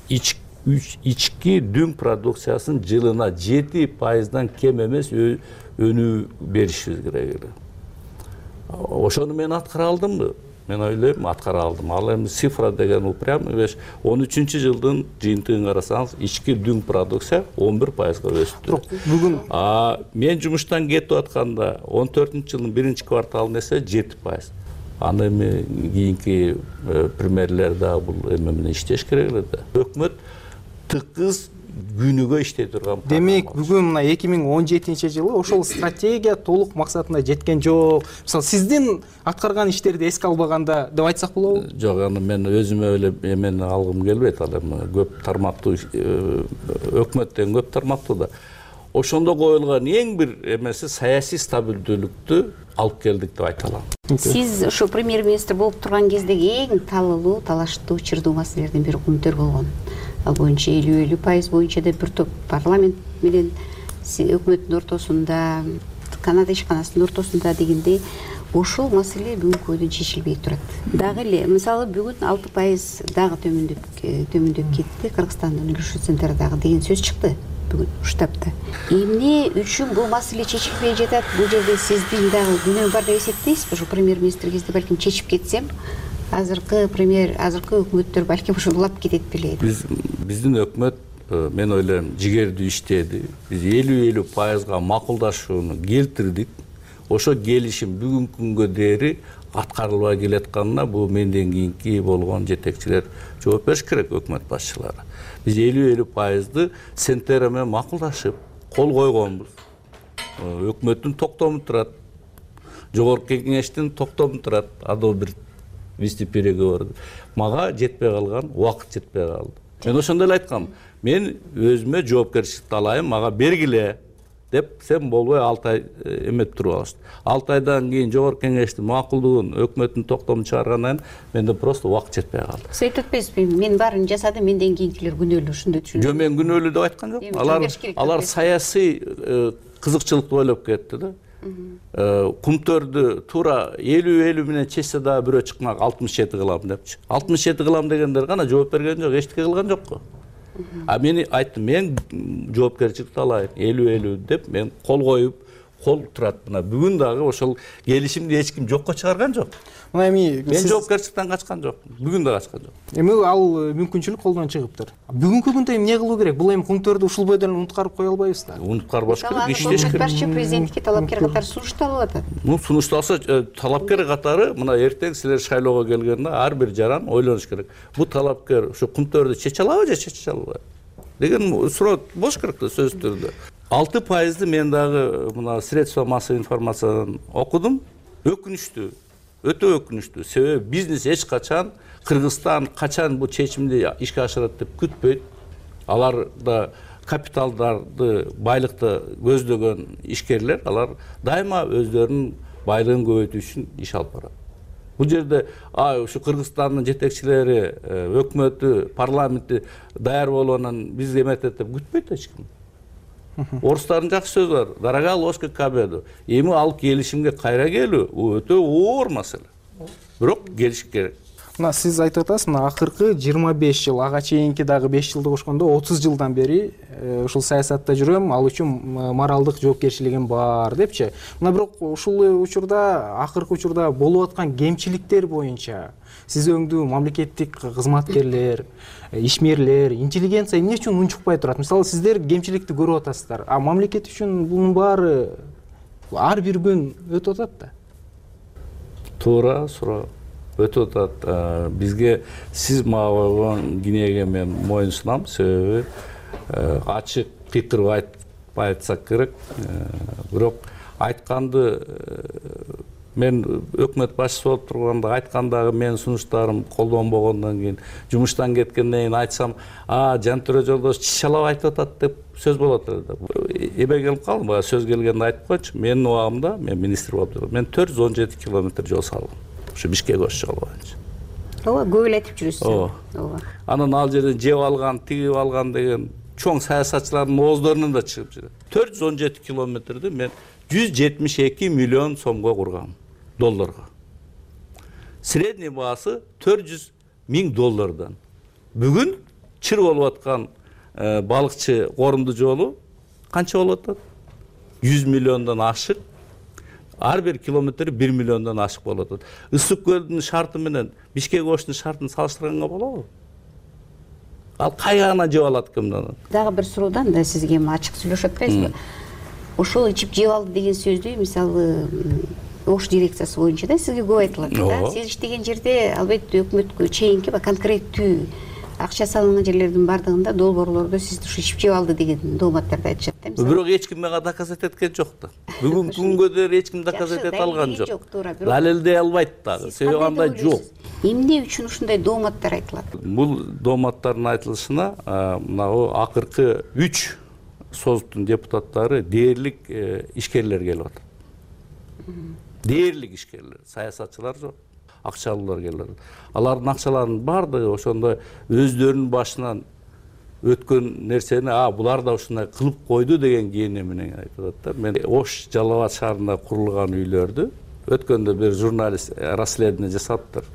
ички дүң продукциясын жылына жети пайыздан кем эмес өнүү беришибиз керек эле. Ошону мен аткара алдымбы? Мен ойлойм, аткара алдым. Ал эми цифра деген упрямый вещь. он үчүнчү жылдын жыйынтыгын карасаңыз, ички дүң продукция он бир пайызга өстү. Бүгүн а мен жумуштан кетип атканда он төртүнчү жылдын биринчи кварталында эсе жети пайыз. Аны эми кийинки премьерлер да бул эме менен иштеш керек эле да. Өкмөт тыкыз күнүгө иштей турган. Демек, бүгүн мына эки миң он жетинчи жылы ошол стратегия толук максатына жеткен жок. Мисалы, сиздин аткарган иштерди эске албаганда деп айтсак болобу? Жок, аны мен өзүмө эле эмени алгым келбейт. Ал эми көп тармактуу өкмөттөн көп тармактуу да. Ошондо коюлган эң бир эмеси саясий стабилдүүлүктү алып келдик деп айта алам. Сиз ошо премьер-министр болуп турган кездеги эң талылуу, талаштуу, чырдуу маселелердин бири күнтөр болгон. Ал боюнча элүү элүү пайыз боюнча да бир топ парламент менен өкмөттүн ортосунда, Канада ишканасынын ортосунда дегенде ошол маселе бүгүнкү күндө чечилбей турат. Дагы эле, мисалы, бүгүн алты пайыз дагы төмөндөп төмөндөп кетти, Кыргызстандын үлүшү центрдагы деген сөз чыкты бүгүн штабта. Эмне үчүн бул маселе чечилбей жатат? Бул жерде сиздин дагы күнөө бар деп эсептейсизби? Ошо премьер-министр кезде балким чечип кетсем, азыркы премьер, азыркы өкмөттөр балким ошону улап кетет беле. Биз биздин өкмөт, мен ойлойм, жигердүү иштеди. Биз элүү элүү пайызга макулдашууну келтирдик. Ошо келишим бүгүнкү күнгө дээри аткарылбай келатканына бул менден кийинки болгон жетекчилер жооп бериш керек, өкмөт башчылары. Биз элүү элүү пайызды сенттер менен макулдашып кол койгонбуз. Өкмөттүн токтому турат, жогорку кеңештин токтому турат. Адо бир вице-переговорду. Мага жетпей калган, убакыт жетпей калды. Мен ошондой эле айткам. Мен өзүмө жоопкерчиликти алайын, мага бергиле деп, сен болбой алты ай эмет туруп алышты. алты айдан кийин жогорку кеңештин макулдугун, өкмөттүн токтомун чыгаргандан кийин менде просто убакыт жетпей калды. Сиз айтып атпайсызбы, мен баарын жасадым, менден кийинкилер күнөөлүү, ушундай түшүнүп. Жок, мен күнөөлүү деп айткан жокмун. Алар алар саясий кызыкчылыкты ойлоп кетти да. Кумтөрдү туура элүү элүү менен чечсе да бирөө чыкмак алтымыш жети кылам депчи. алтымыш жети кылам дегендер гана жооп берген жок, эчтеке кылган жокко. А мен айттым, мен жоопкерчиликти алайын, элүү элүү деп мен кол коюп, кол турат. Мына бүгүн дагы ошол келишимди эч ким жокко чыгарган жок. Мына эми мен жоопкерчиликтен качкан жокмун. Бүгүн да качкан жок. Эми ал мүмкүнчүлүк колдон чыгыптыр. Бүгүнкү күндө эмне кылуу керек? Бул эми кумтөрдү ушул бойдон унуткарып кое албайбыз да. Унуткарбаш керек, иштеш керек. Башчы президентке талапкер катары сунушталып атат. Ну, сунушталса, талапкер катары мына эртең силер шайлоого келгенде ар бир жаран ойлонуш керек. Бул талапкер ушу кумтөрдү чече алабы же чече албайбы деген суроо болуш керек да сөзсүз түрдө. алты пайызды мен дагы мына средства массовой информациядан окудум. Өкүнүчтүү, өтө өкүнүчтүү. Себеби бизнес эч качан Кыргызстан качан бул чечимди ишке ашырат деп күтпөйт. Алар да капиталдарды, байлыкты көздөгөн ишкерлер, алар дайыма өздөрүнүн байлыгын көбөйтүү үчүн иш алып барат. Бул жерде ушу Кыргызстандын жетекчилери, өкмөтү, парламенти даяр болгондон биз эметет деп күтпөйт эч ким. Орустардын жакшы сөзү бар. Дорога ложка к обеду. Эми ал келишимге кайра келүү өтө оор маселе. Бирок келишик керек. Мына сиз айтып атасыз, мына акыркы жыйырма беш жыл, ага чейинки дагы беш жылды кошкондо отуз жылдан бери ушул саясатта жүрөм, ал үчүн моралдык жоопкерчилигим бар депчи. Мына бирок ушул учурда, акыркы учурда болуп аткан кемчиликтер боюнча сиз өңдүү мамлекеттик кызматкерлер, ишмерлер, интеллигенция эмне үчүн унчукпай турат? Мисалы, сиздер кемчиликти көрүп атасыздар, а мамлекет үчүн бунун баары ар бир күн өтүп атат да. Туура суроо. Өтүп атат. Бизге сиз мага койгон кинеге мен моюнсунам, себеби ачык кыйкырып айтсак керек. Бирок айтканды мен өкмөт башчысы болуп турганда айткандагы менин сунуштарым колдонбогондон кийин, жумуштан кеткенден кийин айтсам, а Жантөрө Жолдош чычалап айтып атат деп сөз болот эле. Эбе келип калдым, бага сөз келгенде айтып койчу. Менин убагымда, мен министр болуп жүрдүм. Мен төрт жүз он жети километр жол салдым. Ушу Бишкек Ош жолу боюнча. Ооба, көп эле айтып жүрүсүз. Ооба. Анан ал жерден жеп алган, тигип алган деген чоң саясатчылардын ооздарынан да чыгып жүрөт. төрт жүз он жети километрди мен жүз жетимиш эки миллион сомго кургам, долларга. Средний баасы төрт жүз миң доллардан. Бүгүн чыр болуп аткан балыкчы корунду жолу канча болуп атат? жүз миллиондон ашык. Ар бир километри бир миллиондон ашык болуп атат. Ысык көлдүн шарты менен Бишкек Оштун шартын салыштырганга болобу? Ал кайгана жеп алат кимден? Дагы бир суроодан да сизге ачык сүйлөшүп атпайсызбы? Ошол ичип жеп алды деген сөздү, мисалы, Ош дирекциясы боюнча да сизге көп айтылат да. Сиз иштеген жерде албетте өкмөткө чейинки конкреттүү акча салынган жерлердин бардыгында долбоорлордо сизди ушу ичип жеп алды деген дооматтарды айтышат да. Бирок эч ким мага доказать эткен жок да. Бүгүнкү күнгө дейин эч ким доказать эте алган жок. Далилдей албайт дагы. Себеби андай жок. Эмне үчүн ушундай дооматтар айтылат? Бул дооматтардын айтылышына мына акыркы үч соттун депутаттары дээрлик ишкерлер келип атат. Дээрлик ишкерлер, саясатчылар жок. Акчалуулар келет. Алардын акчаларынын баардыгы ошондой өздөрүнүн башынан өткөн нерсени, а булар да ушундай кылып койду деген кээне менен айтып атат да. Мен Ош Жалал Абад шаарында курулган үйлөрдү өткөндө бир журналист расследование жасаптыр.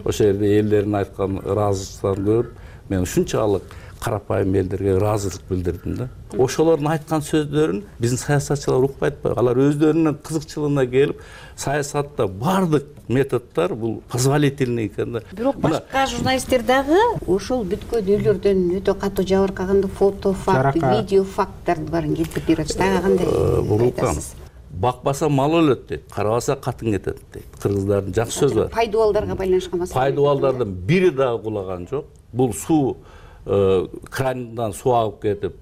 Ошол жерде элдердин айткан ыраазычылыктарын көрүп, мен ушунчалык карапайым элдерге ыраазычылык билдирдим да. Ошолордун айткан сөздөрүн биздин саясатчылар укпай атпайбы? Алар өздөрүнүн кызыкчылыгына келип, саясатта бардык методдор бул позволительный экен да. Бирок башка журналисттер дагы ошол бүткөн үйлөрдөн өтө катуу жабыркаган фото факт, видео факттардын баарын келтирип берип атышат. Ага кандай айтасыз? Бакпаса мал өлөт дейт, карабаса катын кетет дейт. Кыргыздардын жакшы сөзү бар. Пайдубалдарга байланышкан маселе. Пайдубалдардын бири дагы кулаган жок. Бул суу крандан суу агып кетип,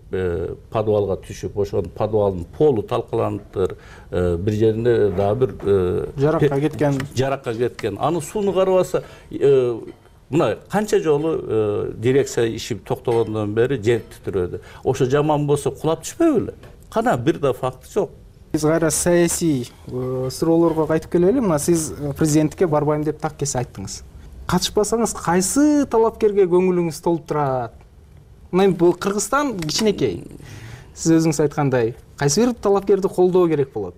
подвалга түшүп, ошонун подвалдын полу талкаланыптыр. Бир жеринде дагы бир жаракка кеткен. Жаракка кеткен. Аны сууну карабаса, мына канча жолу дирекция иши токтогондон бери жер титирөөдү. Ошо жаман болсо кулап түшпөйбү беле? Кана бир да факт жок. Биз кайра саясий суроолорго кайтып келели. Мына сиз президенттикке барбайм деп так кесе айттыңыз. Катышпасаңыз кайсы талапкерге көңүлүңүз толуп турат? Мына бул Кыргызстан кичинекей. Сиз өзүңүз айткандай, кайсы бир талапкерди колдоо керек болот?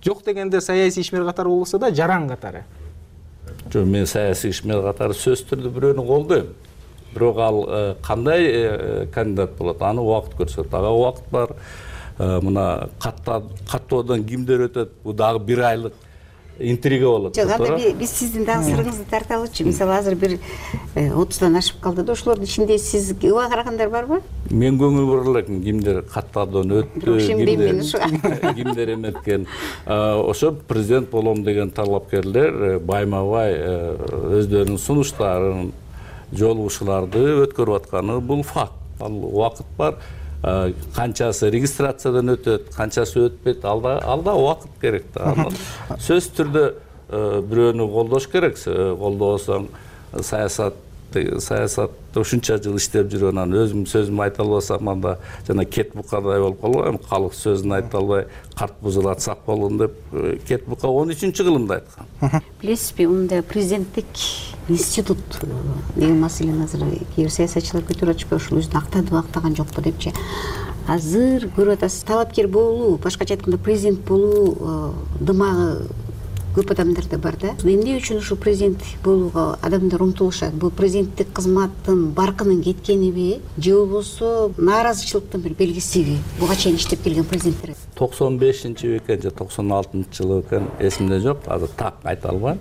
Жок дегенде саясий ишмер катары болсо да, жаран катары. Жок, мен саясий ишмер катары сөзсүз түрдө бирөөнү колдойм. Бирок ал кандай кандидат болот? Аны убакыт көрсөтөт. Ага убакыт бар. Мына каттоодон кимдер өтөт? Бул дагы бир айлык интрига болот. Жок, анда биз сиздин дагы сырыңызды тарта алчу. Мисалы, азыр бир отуздан ашып калды да, ошолордун ичинде сиз ыба карагандар барбы? Мен көңүл бура элекмин, кимдер каттоодон өттү, кимдер кимдер эметкен. Ошо президент болом деген талапкерлер байма-бай өздөрүнүн сунуштарын, жолугушууларды өткөрүп атканы бул факт. Ал убакыт бар. канчасы регистрациядан өтөт, канчасы өтпөйт, алда алда убакыт керек да. Сөзсүз түрдө бирөөнү колдош керек. Колдобосоң саясат саясатта ушунча жыл иштеп жүрүп анан өзүм сөзүмдү айта албасам анда жана кет букадай болуп калган. Калк сөзүн айта албай карт бузулат сак болгон деп кет бука он үчүнчү кылымда айткан. Билесизби, мындай президенттик институт деген маселени азыр кээ бир саясатчылар көтөрүп атышпайбы, ушул өзүн актадыбы актаган жокпу депчи. Азыр көрүп атасыз, талапкер болуу, башкача айтканда президент болуу дымагы көп адамдарда бар да. Эмне үчүн ушул президент болууга адамдар умтулушат? Бул президенттик кызматтын баркынын кеткениби же болбосо нааразычылыктын бир белгисиби? Буга чейин иштеп келген президенттер. токсон бешинчи экен же токсон алтынчы жылы экен, эсимде жок, азыр так айта албайм.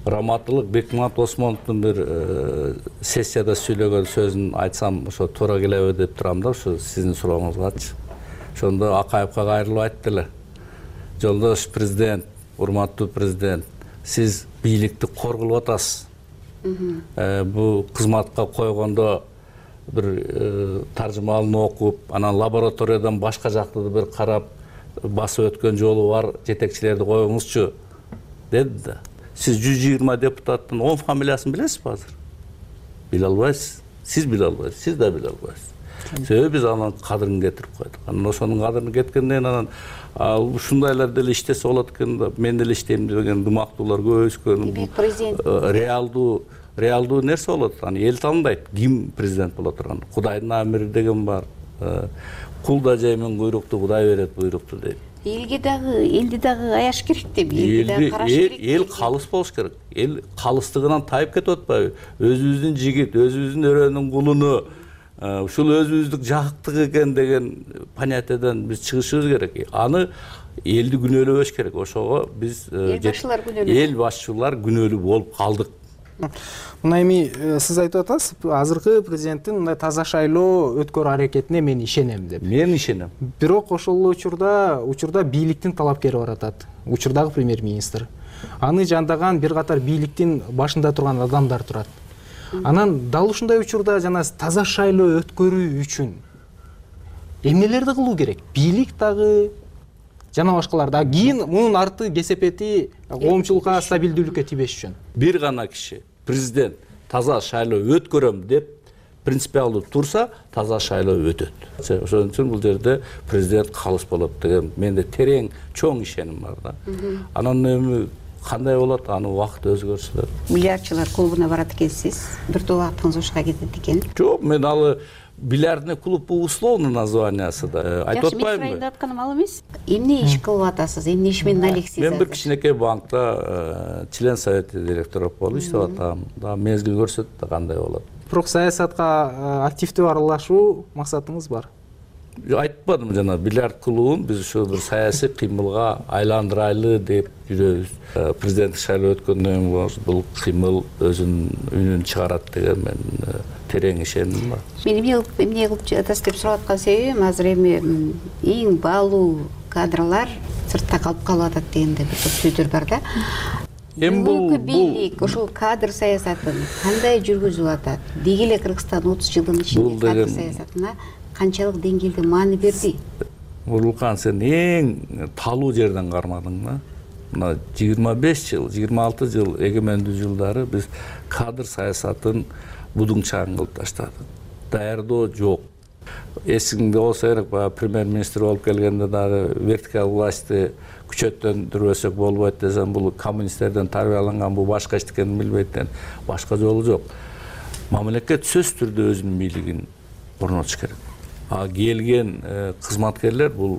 Раматылык Бекмамат Осмоновдун бир сессияда сүйлөгөн сөзүн айтсам, ошо туура келеби деп турам да, ошо сиздин сурооңузгачы. Ошондо Акаевка кайрылып айтты эле. Жолдош президент, урматтуу президент, сиз бийликти коргулуп атасыз. Бул кызматка койгондо бир таржымалын окуп, анан лабораториядан башка жакты бир карап басып өткөн жолу бар жетекчилерди коюңузчу деди да. Сиз жүз жыйырма депутаттын он фамилиясын билесизби азыр? Биле албайсыз. Сиз биле албайсыз, сиз да биле албайсыз. Себеби биз анын кадырын кетирип койдук. Анан ошонун кадырын кеткенден анан ушундайлар деле иштесе болот экен да, мен деле иштейм деген дымактуулар көбөйүшкөн. Реалдуу реалдуу нерсе болот. Аны эл тандайт. Ким президент боло турган? Кудайдын амири деген бар. Кул да жеймен куйрукту, Кудай берет буйрукту дейт. Элге дагы, элди дагы аяш керек деп, элди дагы караш керек. Эл калыс болуш керек. Эл калыстыгынан тайып кетип атпайбы? Өзүбүздүн жигит, өзүбүздүн өрөөнүн кулуну, ушул өзүбүздүк жактык экен деген понятиядан биз чыгышыбыз керек. Аны элди күнөөлөбөш керек. Ошого биз эл башчылар күнөөлүү болуп калдык. Мына эми сиз айтып атасыз, азыркы президенттин мындай таза шайлоо өткөрүү аракетине мен ишенем деп. Мен ишенем. Бирок ошол учурда учурда бийликтин талапкери бар атат. Учурдагы премьер-министр. Аны жандаган бир катар бийликтин башында турган адамдар турат. Анан дал ушундай учурда жана таза шайлоо өткөрүү үчүн эмнелерди кылуу керек? Бийлик дагы жана башкалар да. Кийин мунун арты кесепети коомчулукка стабилдүүлүккө тийбеш үчүн. Бир гана киши президент таза шайлоо өткөрөм деп принципиалдуу турса, таза шайлоо өтөт. Ошон үчүн бул жерде президент калыс болот деген менде терең чоң ишеним бар да. Анан эми кандай болот, аны убакыт өзү көрсөтөт. Миллиардчылар клубуна барат экенсиз, бир топ убактыңыз ошого кетет экен. Жок, мен алы бильярдный клуб условно названиясы да. Айтып атпаймынбы? Мен атканым ал эмес. Эмне иш кылып атасыз? Эмне иш менен алексиз? Мен бир кичинекей банкта член совета директору болуп иштеп атам. Да мезгил көрсөтөт да кандай болот. Бирок саясатка активдүү аралашуу максатыңыз бар. Айтпадым жана, бильярд клубун биз ушу бир саясий кыймылга айландырайлы деп жүрөбүз. Президенттик шайлоо өткөндөн кийин бул кыймыл өзүнүн үнүн чыгарат деген мен терең ишеним бар. Мен эмне кылып эмне кылып жатасыз деп сурап аткан себебим, азыр эми эң баалуу кадрлар сыртта калып калып атат дегенде бир топ сөздөр бар да. Эми бул бийлик ушул кадр саясатын кандай жүргүзүп атат? Деги эле Кыргызстан отуз жылдын ичинде кадр саясатына канчалык деңгээлде маани берди? Улукан, сен эң талуу жерден кармадың да. Мына жыйырма беш жыл, жыйырма алты жыл эгемендүү жылдары биз кадр саясатын будуңчаң кылып таштадык. Даярдоо жок. Эсиңде болсо керек, премьер-министр болуп келгенде дагы вертикаль властьты күчөттөндүрбөсөк болбойт десем, бул коммунисттерден тарбияланган, бул башка эчтекени билбейт. Башка жолу жок. Мамлекет сөзсүз түрдө өзүнүн бийлигин орнотуш керек. А келген кызматкерлер бул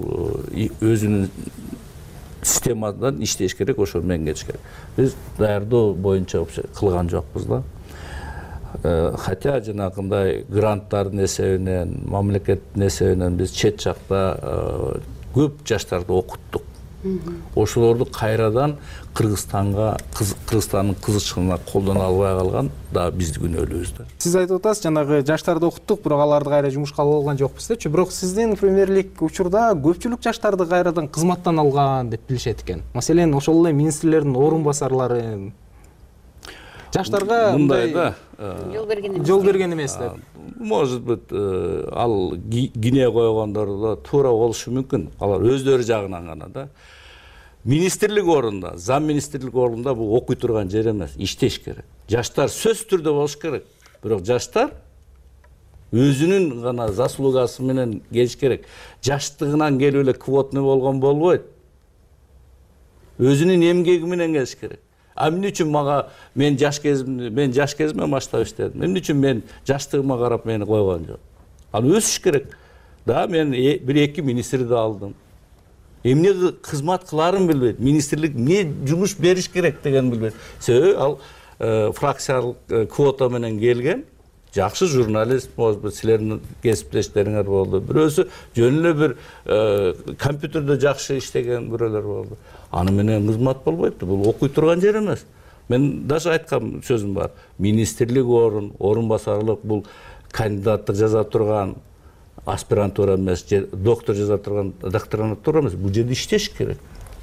өзүнүн системадан иштеш керек, ошо менен кетиш керек. Биз даярдоо боюнча кылган жокпуз да. Хотя жанагындай гранттардын эсебинен, мамлекеттин эсебинен биз чет жакта көп жаштарды окуттук. Ошолорду кайрадан Кыргызстанга, Кыргызстандын кызычына колдоно албай калган да бизди күнөөлөбүз да. Сиз айтып атасыз, жанагы жаштарды окуттук, бирок аларды кайра жумушка ала алган жокпуз депчи. Бирок сиздин премьерлик учурда көпчүлүк жаштарды кайрадан кызматтан алган деп билишет экен. Маселен, ошол эле министрлердин орун басарлары жаштарга мындай да жол берген эмес. Жол берген эмес деп. может быть ал кине койгондор да туура болушу мүмкүн, алар өздөрү жагынан гана да. Министрлик орунда, зам министрлик орунда бул окуй турган жер эмес, иштеш керек. Жаштар сөзсүз түрдө болуш керек. Бирок жаштар өзүнүн гана заслугасы менен келиш керек. Жаштыгынан келип эле квотный болгон болбойт. Өзүнүн эмгеги менен келиш керек. А эмне үчүн мага мен жаш кезимде, мен жаш кезимде баштап иштедим. Эмне үчүн мен жаштыгыма карап мени койгон жок? Ал өсүш керек. Да, мен бир эки министрди алдым. Эмне кызмат кыларын билбейт, министрлик эмне жумуш бериш керек деген билбейт. Себеби ал фракциялык квота менен келген жакшы журналист, может быть, силердин кесиптештериңер болду. Бирөөсү жөн эле бир компьютерде жакшы иштеген бирөөлөр болду. Аны менен кызмат болбойт. Бул окуй турган жер эмес. Мен даже айткан сөзүм бар. Министрлик орун, орун басарлык бул кандидаттык жаза турган аспирантура эмес, доктор жаза турган докторантура эмес. Бул жерде иштеш керек.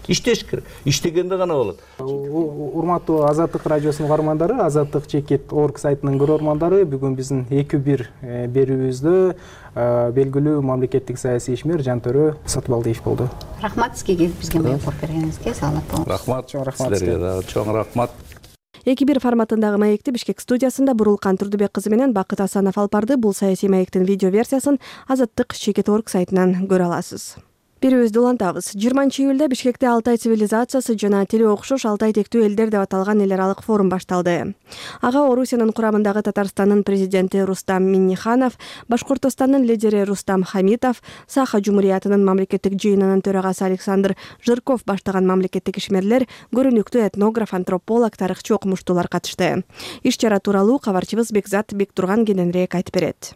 Иштеш керек. Иштегенде гана болот. Урматтуу Азаттык радиосунун угармандары, Азаттык чекит точка орг сайтынын көрөрмандары, бүгүн биздин эки бир берүүбүздө белгилүү мамлекеттик саясий ишмер Жантөрө Сатыбалдиев болду. Рахмат сизге келип бизге маектеп бергениңизге, саламат болуңуз. Рахмат, чоң рахмат силерге, чоң рахмат. эки бир форматындагы маекти Бишкек студиясында Бурулкан Турдубек кызы менен Бакыт Асанов алып барды. Бул саясий маектин видео версиясын Азаттык чекит точка орг сайтынан көрө аласыз. Берүүбүздү улантабыз. жыйырманчы июлда Бишкекте Алтай цивилизациясы жана тили окшош Алтай тектүү элдер деп аталган эл аралык форум башталды. Ага Орусиянын курамындагы Татарстандын президенти Рустам Минниханов, Башкортостандын лидери Рустам Хамитов, Саха Жумуриятынын мамлекеттик жыйынынын төрагасы Александр Жирков баштаган мамлекеттик ишмерлер, көрүнүктүү этнограф, антрополог, тарыхчы, окумуштуулар катышты. Иш чара тууралуу кабарчыбыз Бекзат Бектурган кененирээк айтып берет.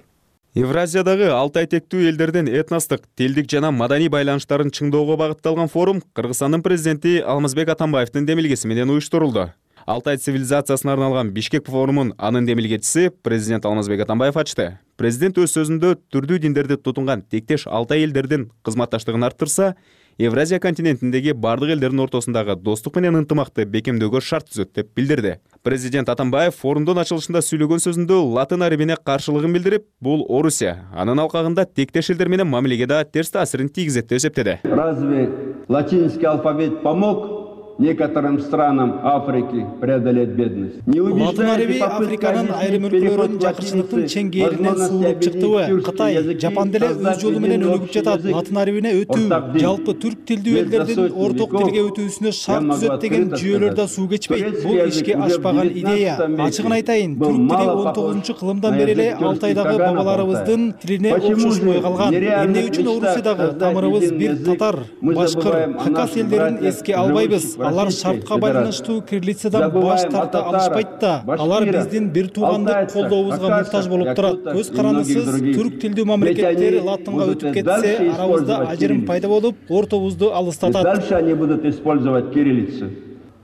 Евразиядагы Алтай тектүү элдердин этностук, тилдик жана маданий байланыштарын чыңдоого багытталган форум Кыргызстандын президенти Алмазбек Атамбаевдин демилгеси менен уюштурулду. Алтай цивилизациясына арналган Бишкек форумун анын демилгечиси президент Алмазбек Атамбаев ачты. Президент өз сөзүндө түрдүү диндерди тутунган тектеш Алтай элдердин кызматташтыгын арттырса, Евразия континентиндеги бардык элдердин ортосундагы достук менен ынтымакты бекемдөөгө шарт түзөт деп билдирди. Президент Атамбаев форумдун ачылышында сүйлөгөн сөзүндө латын арабине каршылыгын билдирип, бул Орусия, анын алкагында тектеш элдер менен мамилеге да терс таасирин тийгизет деп эсептеди. Разве латинский алфавит помог некоторым странам Африки преодолеть бедность? Латын араби Африканын айрым өлкөлөрүн жакырчылыктын чеңгээлинен суулуп чыктыбы? Кытай, Жапан деле өз жолу менен өнүгүп жатат. Латын арабине өтүү, жалпы түрк тилдүү элдердин орток тилге өтүүсүнө шарт түзөт деген жүйөлөр да суу кечпейт. Бул ишке ашпаган идея. Ачыгын айтайын, түрк тили он тогузунчу кылымдан бери эле Алтайдагы бабаларыбыздын тилине окшошпой калган. Эмне үчүн Орусиядагы тамырыбыз бир татар, башкыр, хакас элдерин эске албайбыз? Алар шартка байланыштуу кириллицадан баш тарта алышпайт да. Алар биздин бир туугандык колдообузга муктаж болуп турат. Көз карандысыз түрк тилдүү мамлекеттер латынга өтүп кетсе, арабызда ажырым пайда болуп, ортобузду алыстатат. Дальше они будут использовать кириллицу,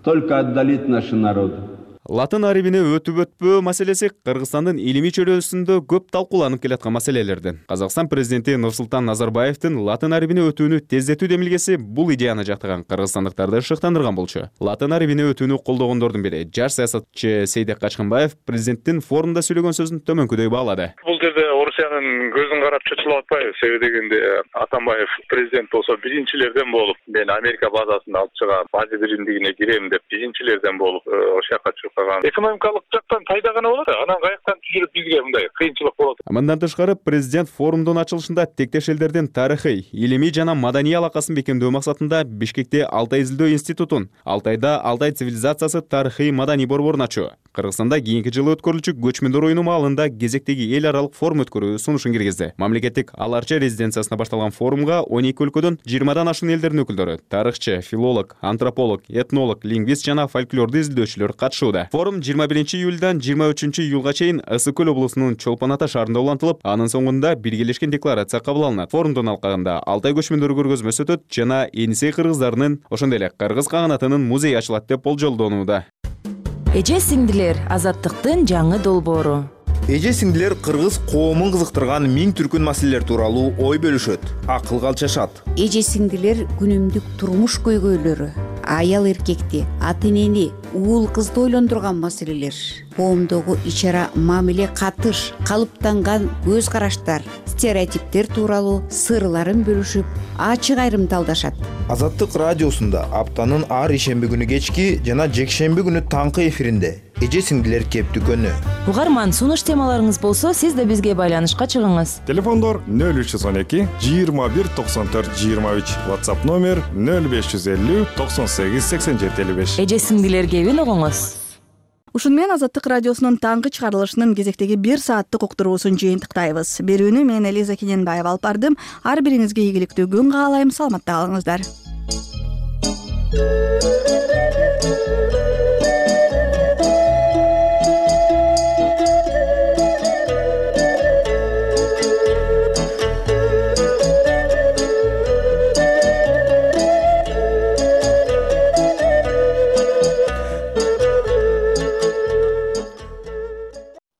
только отдалит наши народы. Латын арабине өтүп өтпөө маселеси Кыргызстандын илимий чөйрөсүндө көп талкууланып келаткан маселелерден. Казакстан президенти Нурсултан Назарбаевдин латын арабине өтүүнү тездетүү демилгеси бул идеяны жактаган кыргызстандыктарды шыктандырган болчу. Латын арабине өтүүнү колдогондордун бири жаш саясатчы Сейдек Качканбаев президенттин форумда сүйлөгөн сөзүн төмөнкүдөй баалады. Бул жерде Орусиянын көзүн карап чочулуп атпайбыз. Себеби дегенде Атамбаев президент болсо биринчилерден болуп, мен Америка базасында алып чыгам, база биримдигине кирем деп биринчилерден болуп ошол жака экономикалык жактан пайда гана болот, анан каяктан түшүрүп бизге мындай кыйынчылык болот. Мындан тышкары президент форумдун ачылышында тектеш элдердин тарыхый, илимий жана маданий алакасын бекемдөө максатында Бишкекте Алтай изилдөө институтун, Алтайда Алтай цивилизациясы тарыхый маданий борборун ачуу, Кыргызстанда кийинки жылы өткөрүлчү көчмөндөр оюну маалында кезектеги эл аралык форум өткөрүү сунушун киргизди. Мамлекеттик Аларча резиденциясына башталган форумга он эки өлкөдөн жыйырмадан ашуун элдердин өкүлдөрү, тарыхчы, филолог, антрополог, этнолог, лингвист жана фольклорду изилдөөчүлөр катышууда. Форум жыйырма биринчи июлдан жыйырма үчүнчү июлга чейин Ысык көл облусунун Чолпон Ата шаарында улантылып, анын соңунда биргелешкен декларация кабыл алынат. Форумдун алкагында Алтай көчмөндөр көргөзмөсү өтөт жана Энисей кыргыздарынын, ошондой эле кыргыз каганатынын музейи ачылат деп болжолдонууда. Эже сиңдилер, азаттыктын жаңы долбоору. Эже сиңдилер кыргыз коомун кызыктырган миң түркүн маселелер тууралуу ой бөлүшөт, акылга алчашат. Эже сиңдилер күнүмдүк турмуш көйгөйлөрү, аял эркекти, ата энени, уул кызды ойлондурган маселелер, коомдогу ич-ара мамиле, катыш, калыптанган көз караштар, стереотиптер тууралуу сырларын бөлүшүп, ачык айрым талдашат. Азаттык радиосунда аптанын ар ишемби күнү кечки жана жекшемби күнү таңкы эфиринде эже сиңдилер кептүкөнү. Угарман, сунуш темаларыңыз болсо, сиз да бизге байланышка чыгыңыз. Телефондор нөл үч жүз он эки жыйырма бир токсон төрт жыйырма үч, WhatsApp номер нөл беш жүз элүү токсон сегиз сексен жети элүү беш. Эже сиңдилер кебин угуңуз. Ушун менен Азаттык радиосунун таңкы чыгарылышынын кезектеги бир сааттык уктуруусун жыйынтыктайбыз. Берүүнү мен Элиза Кененбаева алып бардым. Ар бириңизге ийгиликтүү күн каалайм. Саламатта калыңыздар.